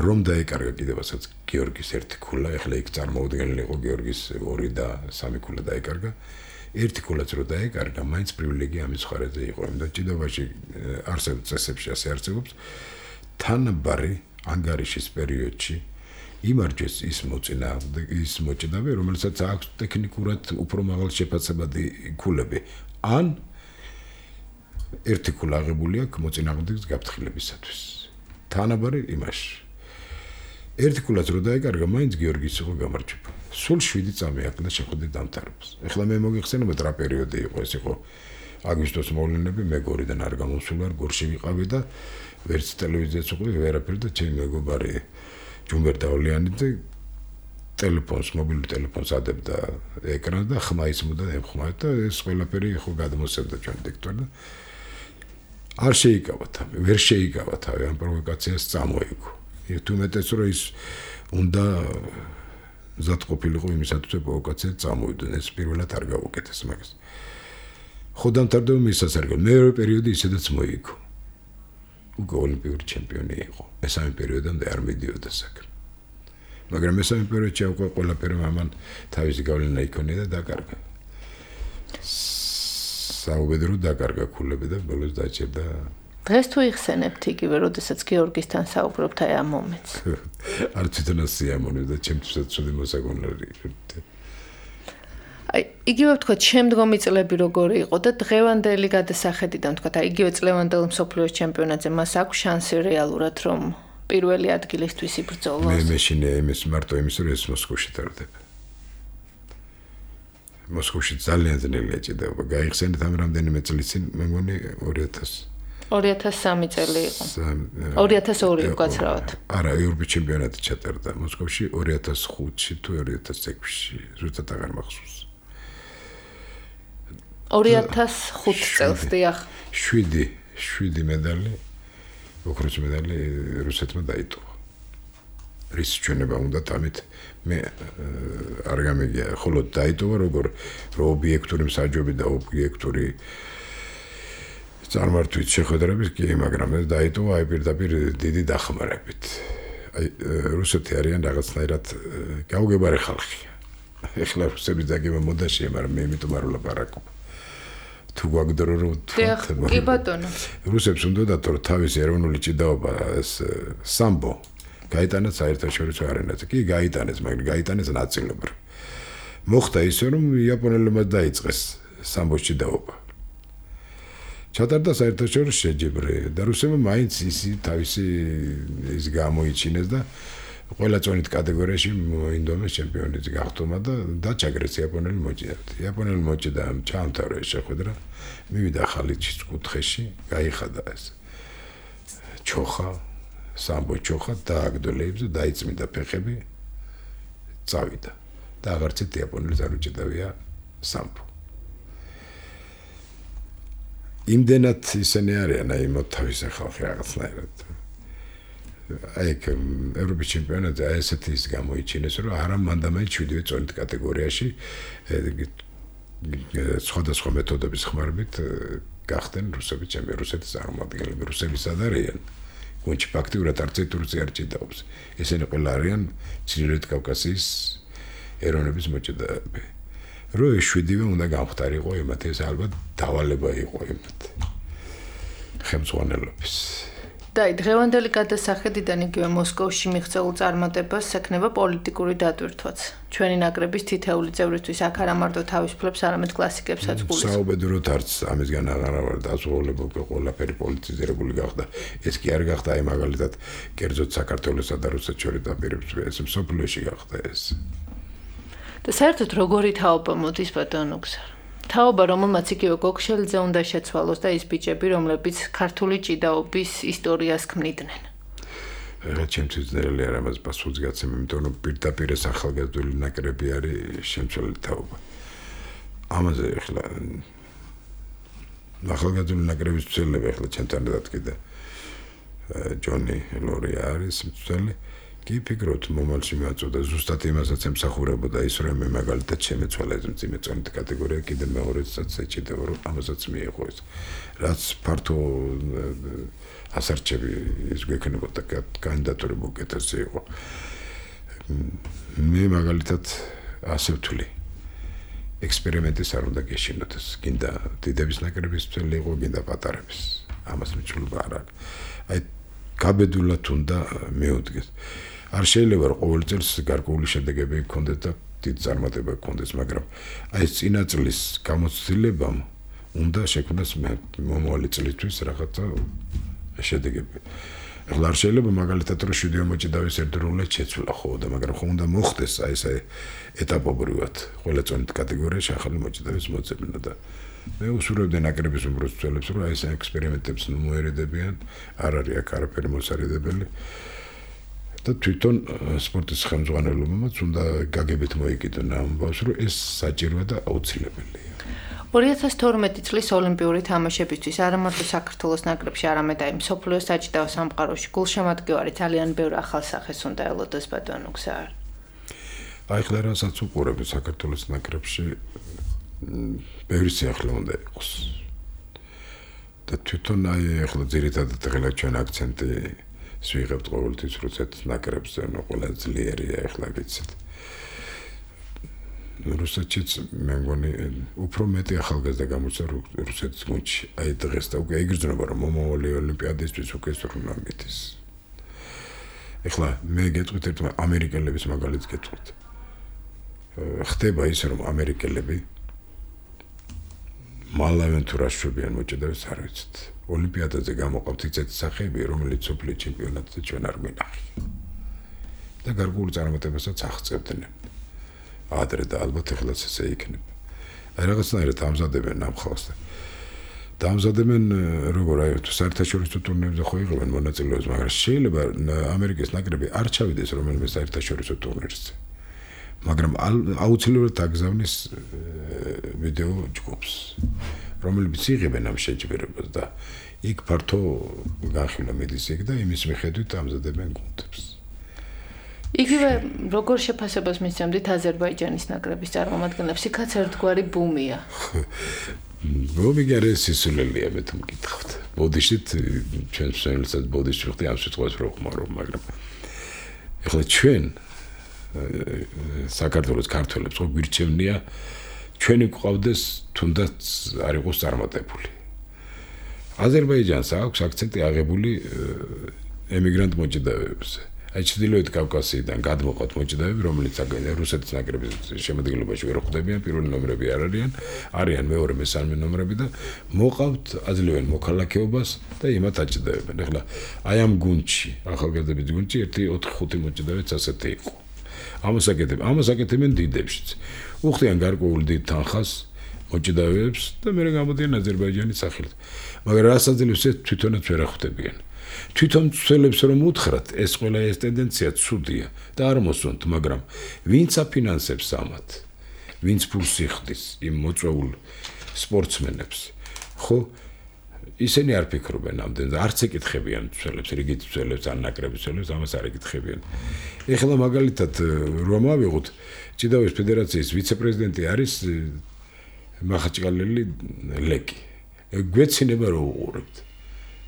რომ დაეკარგა კიდევასაც გიორგის ერთი ქულა, ახლა იქ წარმოუდგენელი იყო გიორგის ორი და სამი ქულა დაეკარგა. ერთი ქულაც რო დაეკარგა, მაინც პრივილეგია ამის მხარეზე იყო, იმიტომ ჭიდობაში არსებობს წესებში ასე არსებობს. თანაბარი ანგარიშის პერიოდში იმარჯვეს ის მოწინააღმდეგე, ის მოჭიდავე, რომელსაც აქვს ტექნიკურად უფრო მაღალ შეფასებადი ქულები. ან ერთი ქულა აღებული აქვს მოწინააღმდეგის გაფრთხილებისათვის. თანაბარი იმაში. ერთი ქულაც რო დაეკარგა, მაინც გიორგის იყო გამარჯვება. სულ შვიდი წამი აქვს შეხვედრით დამთავრებას. ეხლა მე მოგიხსენებათ რა პერიოდი იყო, ეს იყო აგვისტოს მოვლენები, მე გორიდან არ გამოსულა, გორში ვიყავი და ვერც ტელევიზიაც უყურე, ვერაფერი და ჩემი მეგობარი ჯუმბერ დაოლიანიძე ტელეფონს, მობილურ ტელეფონს ადებდა ეკრანს და ხმა ისმოდა ემხმარდა და ეს ყველაფერი ხო გადმოსცემდა ჩვენ დიქტორს და არ შეიკავა თავი, ვერ შეიკავა თავი ამ პროვოკაციას წამოიგო. თუმეტეს რომ ის უნდა მზად ყოფილიყო იმისათვის რომ პროვოკაცია წამოვიდონ, ეს პირველად არ გავუკეთეს მაგას. ხო დამთავრდა მისაც არ გავ. მეორე პერიოდი ისედაც მოიგო. უკვე ოლიმპიური ჩემპიონი იყო. მესამე პერიოდამდე არ მიდიოდა საქმე. მაგრამ მესამე პერიოდში უკვე ყველაფერი მამან თავისი გავლენა იქონია და დაკარგა. საუბედრო დაკარგა ქულები და ბოლოს დაჭერდა. დღეს თუ იხსენებთ იგივე, როდესაც გიორგისთან საუბრობთ აი ამ მომენტს. არ თვითონაც სიამოვნებდა და ჩემთვისაც ცუდი მოსაგონლები. აი იგივე ვთქვათ, შემდგომი წლები როგორი იყო და დღევანდელი გადასახედიდან ვთქვათ, აი იგივე წლევანდელ მსოფლიოს ჩემპიონატზე მას აქვს შანსი რეალურად რომ პირველი ადგილისთვის იბრძოლოს. მე მეშინე იმის მარტო იმის რომ ეს მოსკოვში ტარდება. მოსკოვში ძალიან ძნელია ჭიდაობა. გაიხსენეთ ამ რამდენიმე წლის წინ მე მგონი ორი ათასი ორი ათას სამი წელი იყო. ორი ათას ორი უკაცრავად. არა, ევროპის ჩემპიონატი ჩატარდა მოსკოვში ორი ათას ხუთში თუ ორი ათას ექვსში, ზუსტად აღარ მახსოვს. ორი ათას ხუთ წელს დიახ. შვიდი, შვიდი медали, ოქროს медали რუსეთმა დაიტოვა. რის ჩვენება უნდა თამით მე არ გამიგია, ხოლო დაიტოვა როგორ რო ობიექტური მსაჯობი და ობიექტური წარმართვით შეხვედრებით კი, მაგრამ ეს დაიტოვა აი პირდაპირ დიდი დახმარებით. აი რუსეთი არიან რაღაცნაირად გაუგებარი ხალხი. ეხლა რუსების დაგება მოდაშია, მაგრამ მე იმიტომ არ ვლაპარაკობ. თუ გვაგდრო რომ კი ბატონო. რუსებს უნდათ რომ თავისი ეროვნული ჭიდაობა ეს სამბო გაიტანეს საერთაშორისო არენაზე. კი გაიტანეს, მაგრამ გაიტანეს ნაწილობრივ. მოხდა ისე რომ იაპონელებმა დაიწყეს სამბოში დაობა. ჩატარდა საერთაშორისო შეჯიბრი და რუსებმა მაინც ისი თავისი ის გამოიჩინეს და ყველა წონით კატეგორიაში ინდომეს ჩემპიონი გახტომა და დაჩაგრეს იაპონელი მოჭიდავთ. იაპონელი მოჭიდა ჩამთავრა ეს შეხვედრა, მივიდა ხალიჩის კუთხეში, გაიხადა ეს ჩოხა, სამბო ჩოხა დააგდო ლეიბზე, დაიწმინდა ფეხები, წავიდა და აღარცეთ იაპონელს არ უჭიდავია სამბო. იმდენად ისინი არიან, აი მოთავისე ხალხი რაღაცნაირად. აი ევროპის ჩემპიონატზე აი ესეთი ის გამოიჩინეს, რომ არა მანდამაინც შვიდივე წონით კატეგორიაში სხვადასხვა მეთოდების ხმარებით გახდნენ რუსების ჩემპიონი, რუსეთის წარმომადგენლები, რუსები სად არიან? გუნდში ფაქტიურად არც ერთი რუსი არ ჭიდაობს. ესენი ყველა არიან ჩრდილოეთ კავკასიის ეროვნების მოჭიდავეები. რო ეს შვიდივე უნდა გამختارიყო იმათ, ეს ალბათ დავალება იყო იმათ. ხელმძღვანელობის. და დღევანდელი გადასახედიდან იგივე მოსკოვში მიღწეულ წარმატებას ექნება პოლიტიკური დატვირთვაც. ჩვენი ნაკრების თითეული წევრისთვის აქ არა მარტო თავისუფლებს, არამედ კლასიკებსაც გულისხმობს. საუბედუროთ არც ამისგან აღარ ვარ დაზღვეულებული, ყველაფერი პოლიტიზირებული გახდა. ეს კი არ გახდა აი მაგალითად კერძოდ საქართველოსა და რუსეთს შორის დაპირებს, ეს მსოფლიოში გახდა ეს. და საერთოდ როგორი თაობა მოდის ბატონო გზარ? თაობა, რომელმაც იგივე გოგშელძე უნდა შეცვალოს და ის ბიჭები, რომლებიც ქართული ჭიდაობის ისტორიას ქმნიდნენ. რა ჩემთვის ძნელი არ ამას პასუხს გაცემ, იმიტომ რომ პირდაპირ ეს ახალგაზრდული ნაკრები არის შემცველი თაობა. ამაზე ახლა ახალგაზრდული ნაკრების მცველები ახლა ჩემთან დადგიდა ჯონი ლორი არის მცველი. კი ფიქრობთ მომავალში მეაწოდა ზუსტად იმასაც ემსახურებოდა ის რომ მე მაგალითად შემეცვალა ეს მძიმე წონით კატეგორია კიდე მეორედსაც ეჭიდება რომ ამასაც მიიღო ეს რაც ფართო ასარჩევი ის გვექნებოდა კანდიდატურები უკეთესი იყო მე მაგალითად ასე ვთვლი ექსპერიმენტის არ უნდა გეშინოთ ეს გინდა დიდების ნაკრების მცველი იყო გინდა პატარების ამას მიჩვენება არ აქვს აი გაბედულად უნდა მეუდგეს არ შეიძლება რომ ყოველ წელს გარკვეული შედეგები გქონდეს და დიდ წარმატება გქონდეს, მაგრამ აი ეს წინა წლის გამოცდილებამ უნდა შექმნას მომავალი წლისთვის რაღაცა შედეგები. ახლა არ შეიძლება მაგალითად რომ შვიდივე მოჭიდავის ერთდროულად შეცვლა ხო და მაგრამ ხომ უნდა მოხდეს აი ეს ეტაპობრივად ყველა წონით კატეგორიაში ახალი მოჭიდავის მოძებნა და მე უსურვებდი ნაკრების უმრავლეს მცველებს რომ აი ეს ექსპერიმენტებს მოერედებიან, არ არის აქ არაფერი მოსარიდებელი. და თვითონ სპორტის ხელმძღვანელობამაც უნდა გაგებით მოიკიდონ ამბავს, რომ ეს საჭიროა და აუცილებელია. ორი ათას თორმეტი წლის ოლიმპიური თამაშებისთვის არა მარტო საქართველოს ნაკრებში, არამედ აი მსოფლიოს საჭიდაო სამყაროში გულშემატკივარი ძალიან ბევრ ახალ სახეს უნდა ელოდეს ბატონო გზარ. აი ხლა რასაც უყურებ საქართველოს ნაკრებში ბევრი სიახლე უნდა იყოს. და თვითონ აი ახლა ძირითადად ახლა ჩვენ აქცენტი ვიღებთ ყოველთვის რუსეთის ნაკრებზე, ნუ ყველა ძლიერია ახლა ვიცით. რუსეთშიც მე მგონი უფრო მეტი ახალგაზრდა გამოჩნდა რუსეთის გუნდში. აი დღეს და უკვე იგრძნობა რომ მომავალი ოლიმპიადისთვის უკვე სრუნა მითის. ახლა მე გეტყვით ერთმა ამერიკელების მაგალითს გეტყვით. ხდება ისე რომ ამერიკელები მალავენ თუ რა შვებიან მოჭედავს არ ვიცით. ოლიმპიადაზე გამოყავთ ისეთი სახეები, რომელიც სოფლიო ჩემპიონატზე ჩვენ არ გვინახეთ. და გარკვეულ წარმატებასაც აღწევდნენ. ადრე და ალბათ ეხლაც ესე იქნება. აი რაღაცნაირად ამზადებენ ამ ხალხს. დამზადებენ როგორ აი თუ საერთაშორისო ტურნირებზე ხო იღებენ მონაწილეობას, მაგრამ შეიძლება ამერიკის ნაკრები არ ჩავიდეს რომელიმე საერთაშორისო ტურნირზე. მაგრამ აუცილებლად აგზავნის ვიდეო ჯგუფს. რომელიც იღებენ ამ შეჯიბრებას და იქ ფართო განხილვა მიდის იქ და იმის მიხედვით ამზადებენ გუნდებს. იგივე როგორ შეფასებას მისცემდით აზერბაიჯანის ნაკრების წარმომადგენლებს? იქაც ერთგვარი ბუმია. ბუმი არის სისულელია მე თუ მკითხავთ. ბოდიშით ჩვენ შემიძლია ბოდიში ვხდი ამ სიტყვას რო ხმარო, მაგრამ ეხლა ჩვენ საქართველოს ქართველებს ხო გვირჩევნია ჩვენი გვყავდეს თუნდაც არ იყოს წარმატებული. აზერბაიჯანს აქვს აქცენტი აღებული ემიგრანტ მოჭიდავეებზე. აი ჩრდილოეთ კავკასიიდან გადმოყავთ მოჭიდავეები, რომელიც რუსეთის ნაკრების შემადგენლობაში ვერ ხვდებიან, პირველი ნომრები არ არიან, არიან მეორე მესამე ნომრები და მოყავთ აძლევენ მოქალაქეობას და იმათ აჭდებენ. ეხლა აი ამ გუნდში, ახალგაზრდების გუნდში ერთი ოთხი ხუთი მოჭიდავეც ასეთი იყო. ამას აკეთებ, ამას აკეთებენ დიდებშიც. უხდიან გარკვეულ დიდ თანხას მოჭიდავეებს და მე გამოდიან აზერბაიჯანის სახელით. მაგრამ რას აძლევს ეს თვითონაც ვერ ახვდებიან. თვითონ ცვლებს რომ უთხრათ, ეს ყველა ეს ტენდენცია ცუდია და არ მოსვენთ, მაგრამ ვინც აფინანსებს ამათ, ვინც ფულს იხდის იმ მოწვეულ სპორტსმენებს, ხო? ისინი არ ფიქრობენ ამდენ, არც ეკითხებიან ცვლებს, რიგით ცვლებს, ან ნაკრების ცვლებს, ამას არ ეკითხებიან. ეხლა მაგალითად რომ ავიღოთ, ჭიდაობის ფედერაციის ვიცე-პრეზიდენტი არის მახაჭკალელი ლეკი. გვეცინება რომ უყურებთ.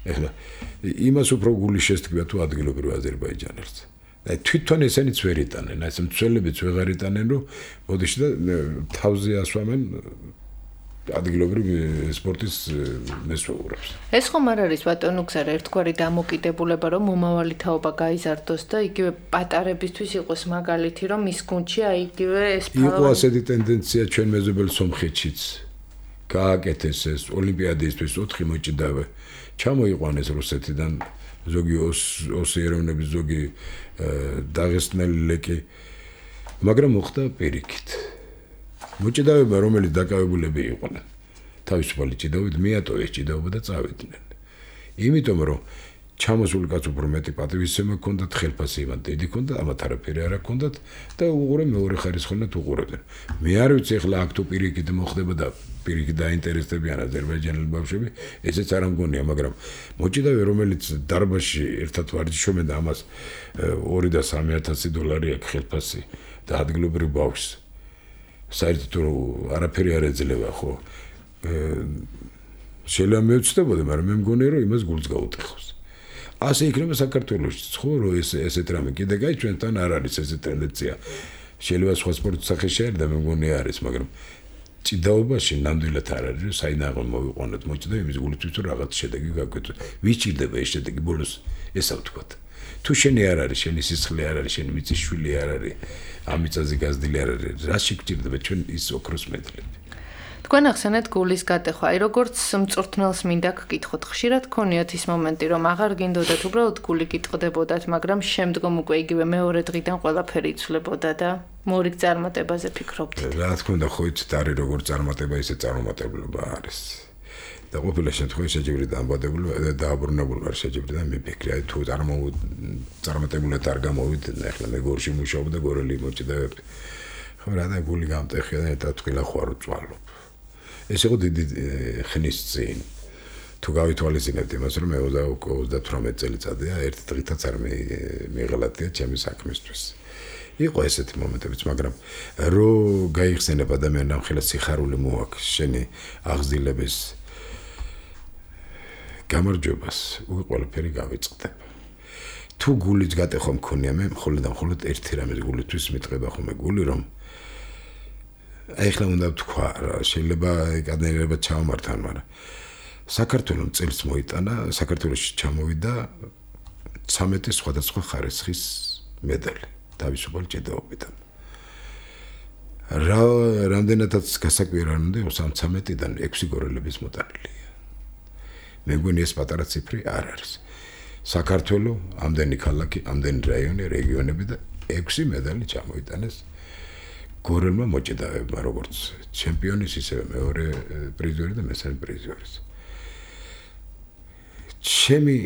ეხლა იმას უფრო გული შესთქვია თუ ადგილობრივ აზერბაიჯანელს. და თვითონ ესენიც ვერ იტანენ, ეს მცველებიც ვეღარ იტანენ, რომ მოდიში და თავზე ასვამენ ადგილობრივ სპორტის მესვეურებს. ეს ხომ არ არის ბატონო გზარა ერთგვარი დამოკიდებულება, რომ მომავალი თაობა გაიზარდოს და იგივე პატარებისთვის იყოს მაგალითი, რომ ის გუნდში აი იგივე ეს იყო ასეთი ტენდენცია ჩვენ მეზობელ სომხეთშიც. გააკეთეს ეს ოლიმპიადისთვის ოთხი მოჭიდავე. ჩამოიყვანეს რუსეთიდან ზოგი ოსი ეროვნების ზოგი დაღესტნელი ლეკი, მაგრამ მოხდა პირიქით. მოჭიდავეება, რომელიც დაკავებულები იყვნენ, თავისუფალი ჭიდაობით მიატოვეს ჭიდაობა და წავიდნენ. იმიტომ რომ ჩამოსული კაც უფრო მეტი პატივისცემა ჰქონდათ, ხელფასი იმან დიდი ჰქონდა, ამათ არაფერი არ ჰქონდათ და უყურე მეორე ხარისხოვნად უყურებდნენ. მე არ ვიცი ახლა აქ თუ პირიქით მოხდება და პირიქით დაინტერესდებიან აზერბაიჯანელი ბავშვები, ესეც არ ამგონია, მაგრამ მოჭიდავე, რომელიც დარბაზში ერთად ვარჯიშობენ და ამას ორი და სამი ათასი დოლარი აქვს ხელფასი და ადგილობრივ ბავშვს საერთოდ არაფერი არ ეძლევა, ხო? შეიძლება მეუცდებოდი, მაგრამ მე მგონია, რომ იმას გულს გაუტეხოს. ასე იქნება საქართველოშიც, ხო, რომ ეს ესეთ რამე კიდე გაი ჩვენთან არ არის ესეთ ტენდენცია. შეიძლება სხვა სპორტის სახე შეერდა, მე მგონია არის, მაგრამ ჭიდაობაში ნამდვილად არ არის, რომ საინაღო მოვიყვანოთ მოჭიდავე იმის გულისთვის, რომ რაღაც შედეგი გაგვეცოთ. ვის ჭირდება ეს შედეგი ბოლოს ესა ვთქვათ. თუ შენი არ არის, შენი სისხლი არ არის, შენი მიწის შვილი არ არის, ამ მიწაზე გაზრდილი არ არის, რა შეგჭირდება ჩვენ ის ოქროს მედლები. თქვენ ახსენეთ გულის გატეხვა. აი როგორც მწვრთნელს მინდა გკითხოთ, ხშირად გქონიათ ის მომენტი, რომ აღარ გინდოდათ უბრალოდ გული გიტყდებოდათ, მაგრამ შემდგომ უკვე იგივე მეორე დღიდან ყველაფერი იცვლებოდა და მორიგ წარმატებაზე ფიქრობდით. რა თქმა უნდა, ხო იცით, არის როგორც წარმატება, ისე წარუმატებლობა არის. და ყოფილი შემთხვევაში შეჯიბრი დამბადებული და დააბრუნებული არ შეჯიბრი და მიფიქრე, აი თუ წარმატებულად არ გამოვიდნენ, ახლა მე გორში მუშაობ და გორელი მოჭიდავები. ხო რა და გული გამტეხია და ერთად თქილა ხوارო წვალობ. ეს იყო დიდი ხნის წინ. თუ გავითვალისწინებთ იმას, რომ მე ოცდათვრამეტი წელიწადია, ერთ დღითაც არ მიიღალატია ჩემი საქმისთვის. იყო ესეთი მომენტებიც, მაგრამ რო გაიხსენებ ადამიანს ამხელა სიხარული მოაქვს შენი აღზრდილების გამარჯვებას, უკვე ყველაფერი გავიწყდება. თუ გულის გატეხვა მქონია, მე მხოლოდ და მხოლოდ ერთი რამის გულისთვის მიტყება ხოლმე გული, რომ აი ხლა უნდა თქვა, შეიძლება კადენერება ჩავმართან, მაგრამ საქართველოს წელს მოიტანა, საქართველოში ჩამოვიდა ცამეტი სხვადასხვა ხარისხის მედალი თავისუფალ ჭიდაობიდან. რა რამდენადაც გასაკვირვებელი იყო ამ ცამეტიდან ექვსი გორელების მოტანილია. მე მგონი ეს პატარა ციფრი არ არის. საქართველოს ამდენი ქალაქი, ამდენი რაიონი, რეგიონები და ექვსი მედალი ჩამოიტანეს გორელმა მოჭიდავეებმა, როგორც ჩემპიონის, ისევე მეორე პრიზორი და მესამე პრიზორის. ჩემი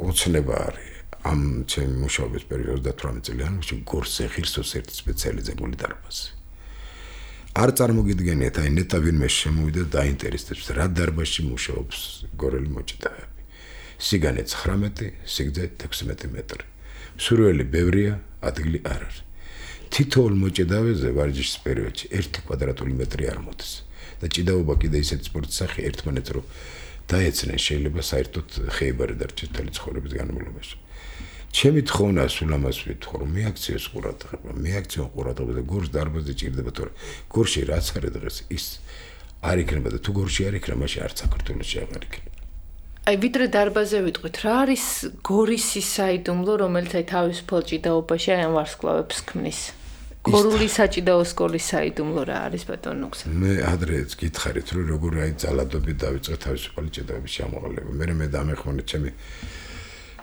ოცნება არის ამ ჩემი მუშაობის პერიოდში ოცდათვრამეტი წელი, გორს ეხირსოს ერთი სპეციალიზე გული დარბაზი. არ წარმოგიდგენიათ, აი ნეტა ვინმე შემოვიდა და დაინტერესებს, რა დარბაზში მუშაობს გორელი მოჭიდავეები. სიგანე ცხრამეტი, სიგრძე ექვსმეტი მეტრი. მსურველი ბევრია, ადგილი არ არის. თითოეულ მოჭიდავეზე ვარჯიშის პერიოდში ერთი კვადრატული მეტრი არ მოდის. და ჭიდაობა კიდე ისეთი სპორტის სახე ერთმანეთს რო დაეცნენ, შეიძლება საერთოდ ხეიბარი დარჩეს მთელი ცხოვრების განმავლობაში. ჩემი თხოვნა სულ ამას ვიტყო, რომ მიაქციოს ყურადღება, მიაქციონ ყურადღება და გორს დარბაზი ჭირდება, თორე გორში რაც არის დღეს ის არ იქნება და თუ გორში არ იქნება, მაშინ არც საქართველოში აღარ იქნება. აი ვიდრე დარბაზე ვიტყვით, რა არის გორისის საიდუმლო, რომელიც აი თავისუფალ ჭიდაობაში აი ამ ვარსკვლავებს ქმნის? გორული საჭიდაო სკოლის საიდუმლო რა არის ბატონ ნუგზა? მე ადრეც გითხარით, რომ როგორ აი ძალადობით დავიწყე თავისუფალი ჭიდაობის ჩამოყალიბება. მე მე დამეხმარე ჩემი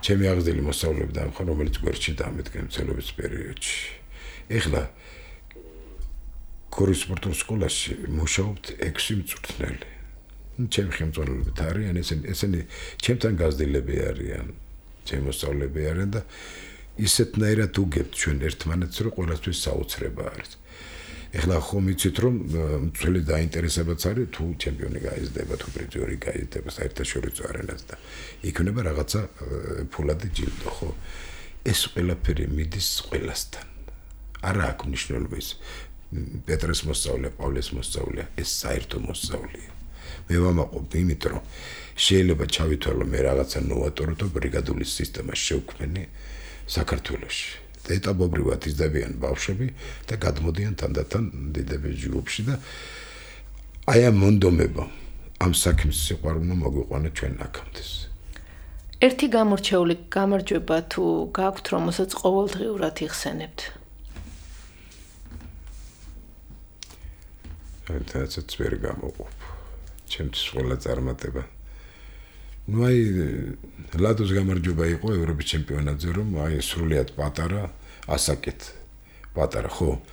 ჩემი აღზრდილი მოსწავლეები დამხარ, რომელიც გვერდში დამედგენ მცელობის პერიოდში. ეხლა გორის სპორტულ სკოლაში მუშაობთ ექვსი მწვრთნელი. ჩემი ხელმძღვანელობით არიან ესენი ესენი ჩემთან გაზრდილები არიან, ჩემი მოსწავლეები არიან და ისეთნაირად უგებთ ჩვენ ერთმანეთს, რომ ყველასთვის საოცრება არის. ეხლა ხომ იცით რომ მწვრთნელი დაინტერესებაც არის თუ ჩემპიონი გაიზრდება, თუ პრიზიორი გაიზრდება საერთაშორისო არენაზე და იქნება რაღაცა ფულადი ჯილდო, ხო? ეს ყველაფერი მიდის ყველასთან. არა აქვს მნიშვნელობა ის პეტრეს მოსწავლეა, პავლეს მოსწავლეა, ეს საერთო მოსწავლეა. მე ვამაყობ იმიტომ რომ შეიძლება ჩავითვალო მე რაღაცა ნოვატორო და ბრიგადული სისტემა შევქმნი საქართველოში. და ეტაპობრივად იზრდებიან ბავშვები და გადმოდიან თანდათან დიდების ჯგუფში და აი ამ მონდომება ამ საქმის სიყვარულმა მოგვიყვანა ჩვენ აქამდე. ერთი გამორჩეული გამარჯვება თუ გაქვთ, რომელსაც ყოველდღიურად იხსენებთ? თაცაც ვერ გამოყოფ. ჩემთვის ყველა წარმატება. ნუ აი ლადოს გამარჯვება იყო ევროპის ჩემპიონატზე, რომ აი სრულიად პატარა ასაკით. პატარა ხო.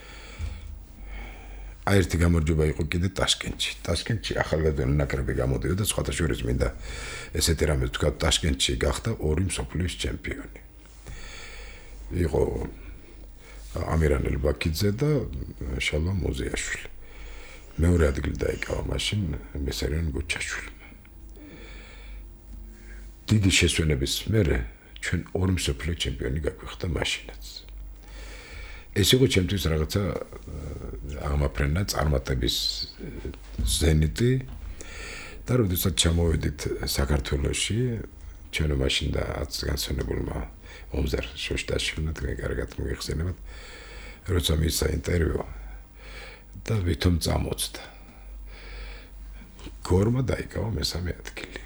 აი ერთი გამარჯვება იყო კიდე ტაშკენტში. ტაშკენტში ახალგაზრდული ნაკრები გამოდიოდა და სხვათა შორის მინდა ესეთი რამე თქვა, ტაშკენტში გახდა ორი მსოფლიოს ჩემპიონი. იყო ამირან ელბაქიძე და შალომ მოზიაშვილი. მეორე ადგილი დაიკავა მაშინ მესარიან გუჩაშვილმა. დიდი შესვენების მერე ჩვენ ორი მსოფლიო ჩემპიონი გაგვიხდა მაშინაც. ეს იყო ჩემთვის რაღაცა აღმაფრენა წარმატების ზენიტი და როდესაც ჩამოვედით საქართველოში, ჩვენ მაშინ და განსვენებულმა ომზარ შოშტაშვილმა თქვენ კარგად მოიხსენებათ, როცა მისცა ინტერვიუ და ვითომ წამოწდა. გორმა დაიკავა მესამე ადგილი.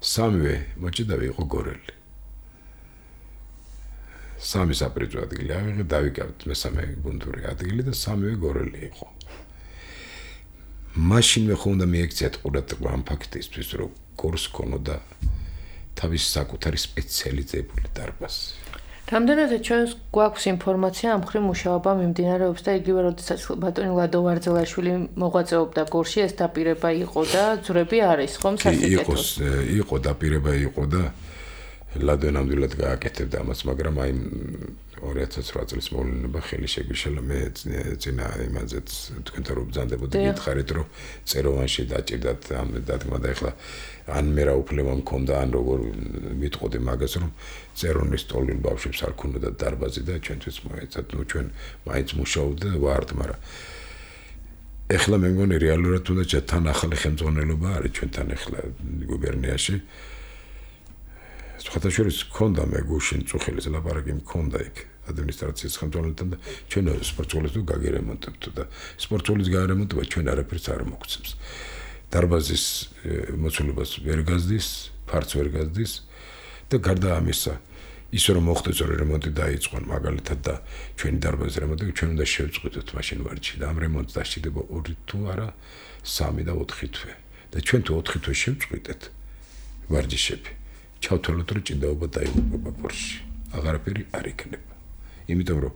სამივე მოჭიდავი იყო გორელი. სამი საპრიზო ადგილი ავიღე, დავიკავეთ მესამე გუნდური ადგილი და სამივე გორელი იყო. მაშინვე ხო უნდა მიექციათ ყურადღება ამ ფაქტისთვის, რომ გორს ქონოდა თავის საკუთარი სპეციალიზებული დარბაზი. რამდენადაც ჩვენს გვაქვს ინფორმაცია ამ ხრივ მუშაობა მიმდინარეობს და იგივე როდესაც ბატონი ლადო ვარძელაშვილი მოღვაწეობდა გორში, ეს დაპირება იყო და ძვრები არის ხომ სასიკეთო? იყო დაპირება იყო და ლადო ნამდვილად გააკეთებდა ამას, მაგრამ აი ორი ათას ოთხ წლის მოვლენა ხელი შეგვიშალა მე წინა იმაზეც თქვენთან რომ ბრძანდებოდი გითხარით რომ წეროვანში დაჭირდათ ამ დადგმა და ეხლა ან მე რა უფლება მქონდა ან როგორ მიტყოდი მაგას რომ წერონის ტოლილ ბავშვებს არ ქონოდა დარბაზი და ჩვენთვის მოეცათ ნუ ჩვენ მაინც მუშაობდა ვართ მაგრამ ეხლა მე მგონი რეალურად უნდა თან ახალი ხელმძღვანელობა არის ჩვენთან ეხლა გუბერნიაში სხვათა შორის ქონდა მე გუშინ წუხილის ლაპარაკი მქონდა იქ ადმინისტრაციის ხელმძღვანელთან და ჩვენ სპორტსკოლის თუ გაგერემონტებთ და სპორტსკოლის გაგერემონტება ჩვენ არაფერს არ მოგცემს დარბაზის მოცულობას ვერ გაზდის ფარც ვერ გაზდის და გარდა ამისა ისე რომ მოხდეს რომ რემონტი დაიწყონ მაგალითად და ჩვენი დარბაზის რემონტი ჩვენ უნდა შევწყვიტოთ მაშინ ვარჯი და ამ რემონტს დასჭირდება ორი თუ არა სამი და ოთხი თვე და ჩვენ თუ ოთხი თვე შევწყვიტეთ ვარჯიშები ჩავთვალოთ რომ ჭიდაობა დაიღუპება გორში აღარაფერი არ იქნება იმიტომ რომ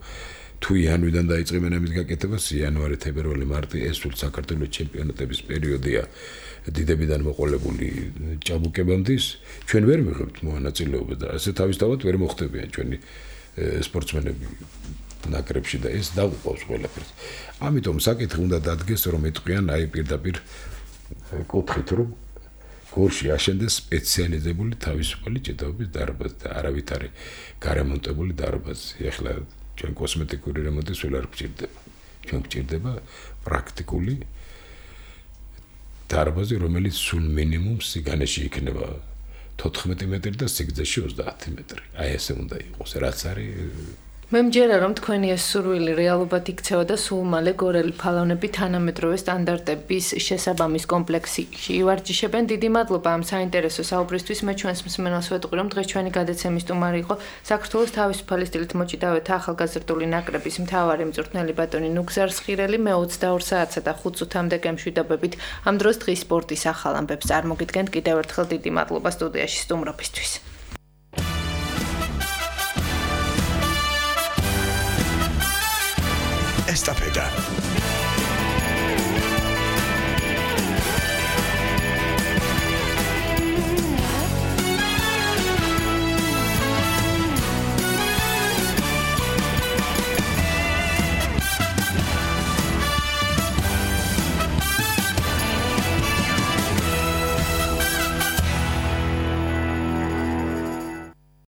თუ იანვრიდან დაიწყებენ ამის გაკეთებას იანვარი თებერვალი მარტი ეს სულ საქართველოს ჩემპიონატების პერიოდია დიდებიდან მოყოლებული ჭაბუკებამდის ჩვენ ვერ მიღებთ მონაწილეობას და ასე თავისთავად ვერ მოხდებიან ჩვენი სპორტსმენები ნაკრებში და ეს დაუყავს ყველაფერს ამიტომ საკითხი უნდა დადგეს რომ ეტყვიან აი პირდაპირ კუთხით რომ გორში აშენდეს სპეციალიზებული თავისუფალი ჭიდაობის დარბაზი და არავითარი გარემონტებული დარბაზი ეხლა ჩვენ კოსმეტიკური რემონტის ველა არ გჭირდება ჩვენ გჭირდება პრაქტიკული დარბაზი რომელიც სულ მინიმუმ სიგანეში იქნება თოთხმეტი მეტრი და სიგრძეში ოცდაათი მეტრი აი ესე უნდა იყოს რაც არის მე მჯერა რომ თქვენი ეს სურვილი რეალობად იქცევა და სულ მალე გორელი ფალონები თანამედროვე სტანდარტების შესაბამის კომპლექსში ივარჯიშებენ. დიდი მადლობა ამ საინტერესო საუბრისთვის. მე ჩვენს მსმენელს ვეტყვი რომ დღეს ჩვენი გადაცემის სტუმარი იყო საქართველოს თავისუფალი სტილით მოჭიდავეთა ახალგაზრდული ნაკრების მთავარი მწვრთნელი ბატონი ნუგზარ სხირელი. მე ოცდაორ საათსა და ხუთ წუთამდე გემშვიდობებით ამ დროს დღის სპორტის ახალ ამბებს წარმოგიდგენთ. კიდევ ერთხელ დიდი მადლობა სტუდიაში სტუმრობისთვის. Estafeta.